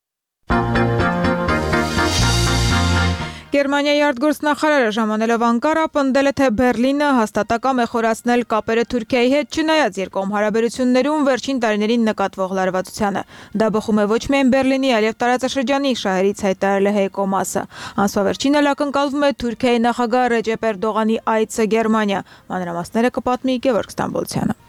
Գերմանիայի արտգործնախարարը ժամանելով Անկարա պնդել է, թե Բերլինը հաստատակամ է խորացնել կապերը Թուրքիայի հետ, չնայած երկկողմ հարաբերություններում վերջին տարիներին նկատվող լարվածությանը։ Դա բխում է ոչ միայն Բերլինի, այլև տարածաշրջանի շահերից, հայտարարել է Հեյկո Մասը։ Ամսվա վերջին էլ ակնկալվում է Թուրքիայի նախագահ Ռեջեփ Էրդողանի այցը Գերմանիա։ Մանրամասները կպատմի Գևորգ Ստամբոլցյանը։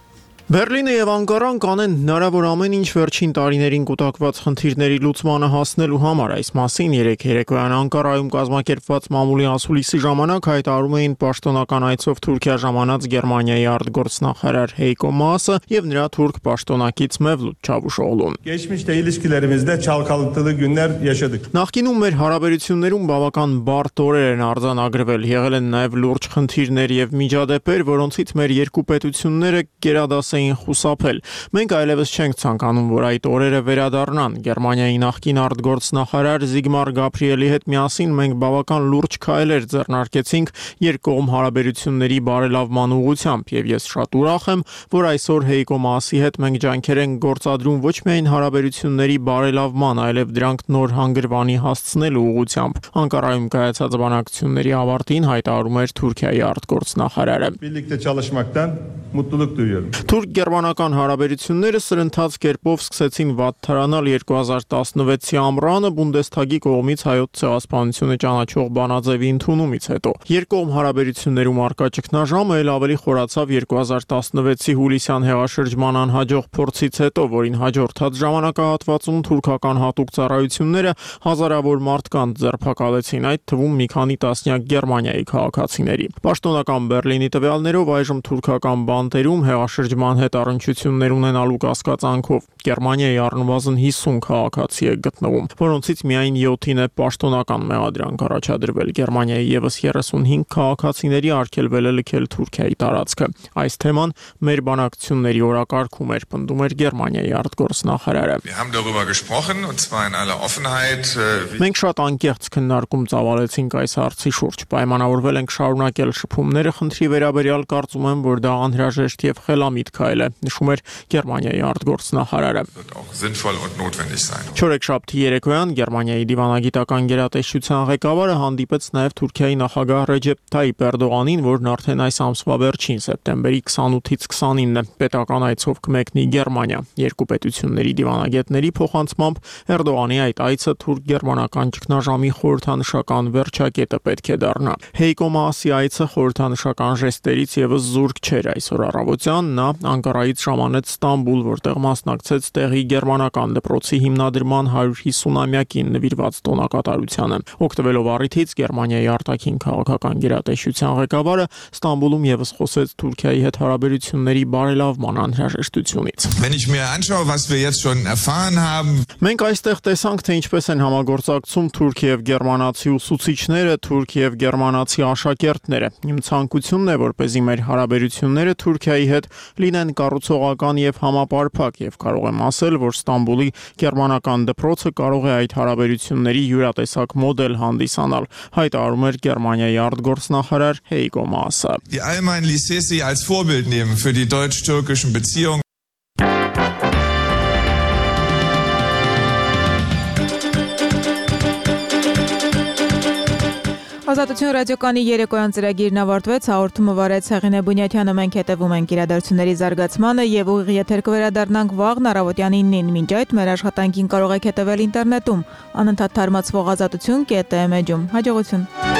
Բերլինը եւ Անկարան կանեն հնարավոր ամեն ինչ վերջին տարիներին կուտակված խնդիրների լուծմանը հասնելու համար։ Այս մասին երեկ երեկոյան Անկարայում կազմակերպված մամուլի ասուլիսի ժամանակ հայտարարում էին պաշտոնական այցով Թուրքիա ժամանած Գերմանիայի արտգործնախարար Հեյկո Մասը եւ նրա թուրք պաշտոնակից Mevlut Çavuşoğlu։ Geçmişte ilişkilerimizde çalkalıklı günler yaşadık. Նախկինում մեր հարաբերություններում բավական բարդ օրեր են արձանագրվել, եղել են նաեւ լուրջ խնդիրներ եւ միջադեպեր, որոնցից մեր երկու պետությունները գերադաս խուսափել։ Մենք այլևս չենք ցանկանում, որ այդ օրերը վերադառնան։ Գերմանիայի նախկին արտգործնախարար Զիգմար Գաբրիելի հետ միասին մենք բավական լուրջ քայլեր ձեռնարկեցինք երկկողմ հարաբերությունների բարելավման ուղղությամբ, եւ ես շատ ուրախ եմ, որ այսօր Հեյկո Մասի հետ մենք ջանքեր ենք գործադրում ոչ միայն հարաբերությունների բարելավման, այլև դրանք նոր հանգրվանի հասցնելու ուղղությամբ։ Անկարայում կայացած բանակցությունների ավարտին հայտարարում էր Թուրքիայի արտգործնախարարը։ Birlikte çalışmaktan mutluluk duyuyorum. Թուրք-գերմանական հարաբերությունները սրընթաց կերպով սկսեցին վատթարանալ 2016-ի ամռանը Բունդեսթագի կողմից հայոց ցեղասպանությունը ճանաչող բանաձևի ընդունումից հետո։ Երկկողմ հարաբերություններում արկա ճգնաժամը էլ ավելի խորացավ 2016-ի հուլիսյան հեղաշրջման անհաջող փորձից հետո, որին հաջորդած ժամանակահատվածում թուրքական հատուկ ծառայությունները հազարավոր մարդկանց ձերբակալեցին, այդ թվում մի քանի տասնյակ Գերմանիայի քաղաքացիների։ Պաշտոնական Բերլինի տվյալներով այժմ թուրքական բանտերում հեղաշրջման հետ առնչություններ ունենալու կասկածանքով Գերմանիայի առնվազն 50 քաղաքացի է գտնվում, որոնցից միայն 7-ին է պաշտոնական մեղադրանք առաջադրվել։ Գերմանիայի եւս 35 քաղաքացիների արգելվել է լքել Թուրքիայի տարածքը։ Այս թեման մեր բանակցությունների օրակարգում էր, պնդում էր Գերմանիայի արտգործնախարարը։ Մենք շատ անկեղծ քննարկում ծավալեցինք այս հարցի շուրջ, պայմանավորվել ենք շարունակել շփումները խնդրի վերաբերյալ, կարծում եմ, որ դա անհրաժեշտ եւ խելամիտ քայլ բացակայել է, նշում էր Գերմանիայի արտգործնախարարը։ Չորեքշաբթի երեկոյան Գերմանիայի դիվանագիտական գերատեսչության ղեկավարը հանդիպեց նաև Թուրքիայի նախագահ Ռեջեփ Թայիփ Էրդողանին, որն արդեն այս ամսվա վերջին սեպտեմբերի 28-ից 29-ը պետական այցով կմեկնի Գերմանիա։ Երկու պետությունների դիվանագետների փոխանցմամբ Էրդողանի այդ այցը թուրք-գերմանական ճգնաժամի խորհրդանշական վերջակետը պետք է դառնա։ Հեյկո Մաասի այցը խորհրդանշական ժեստերից եւս զուրկ չէր։ Այսօր առավոտյան նա Անկարայից ժամանեց Ստամբուլ, որտեղ մասնակցեց տեղի գերմանական դպրոցի հիմնադրման 150-ամյակին նվիրված տոնակատարությանը։ Օգտվելով առիթից Գերմանիայի արտաքին քաղաքական գերատեսչության ղեկավարը Ստամբուլում եւս խոսեց Թուրքիայի հետ հարաբերությունների բարելավման անհրաժեշտությունից։ Մենք այստեղ տեսանք, թե ինչպես են համագործակցում թուրք եւ գերմանացի ուսուցիչները, թուրք եւ գերմանացի աշակերտները։ Իմ ցանկությունն է, որպեսզի մեր հարաբերությունները Թուրքիայի հետ լինեն կառուցողական եւ համապարփակ, եւ կարող եմ ասել, որ Ստամբուլի գերմանական դպրոցը կարող է այդ հարաբերությունների յուրատեսակ մոդել հանդիսանալ, հայտարարում էր Գերմանիայի արտգործնախարար Հեյկո Մաասը։ Die Allgemeine Lycées sie als Vorbild nehmen für die deutsch-türkischen Beziehungen. Ազատություն ռադիոկանի երեկոյան ծրագիրն ավարտվեց, հաղորդումը վարեց Հեղինե Բունյաթյանը, մենք հետևում ենք իրադարձությունների զարգացմանը եւ ուղիղ եթեր կվերադառնանք վաղն առավոտյան 9-ին։ Մինչ այդ մեր աշխատանքին կարող եք հետևել ինտերնետում, անընդհատ թարմացվող ազատություն.am էջում։ Հաջողություն։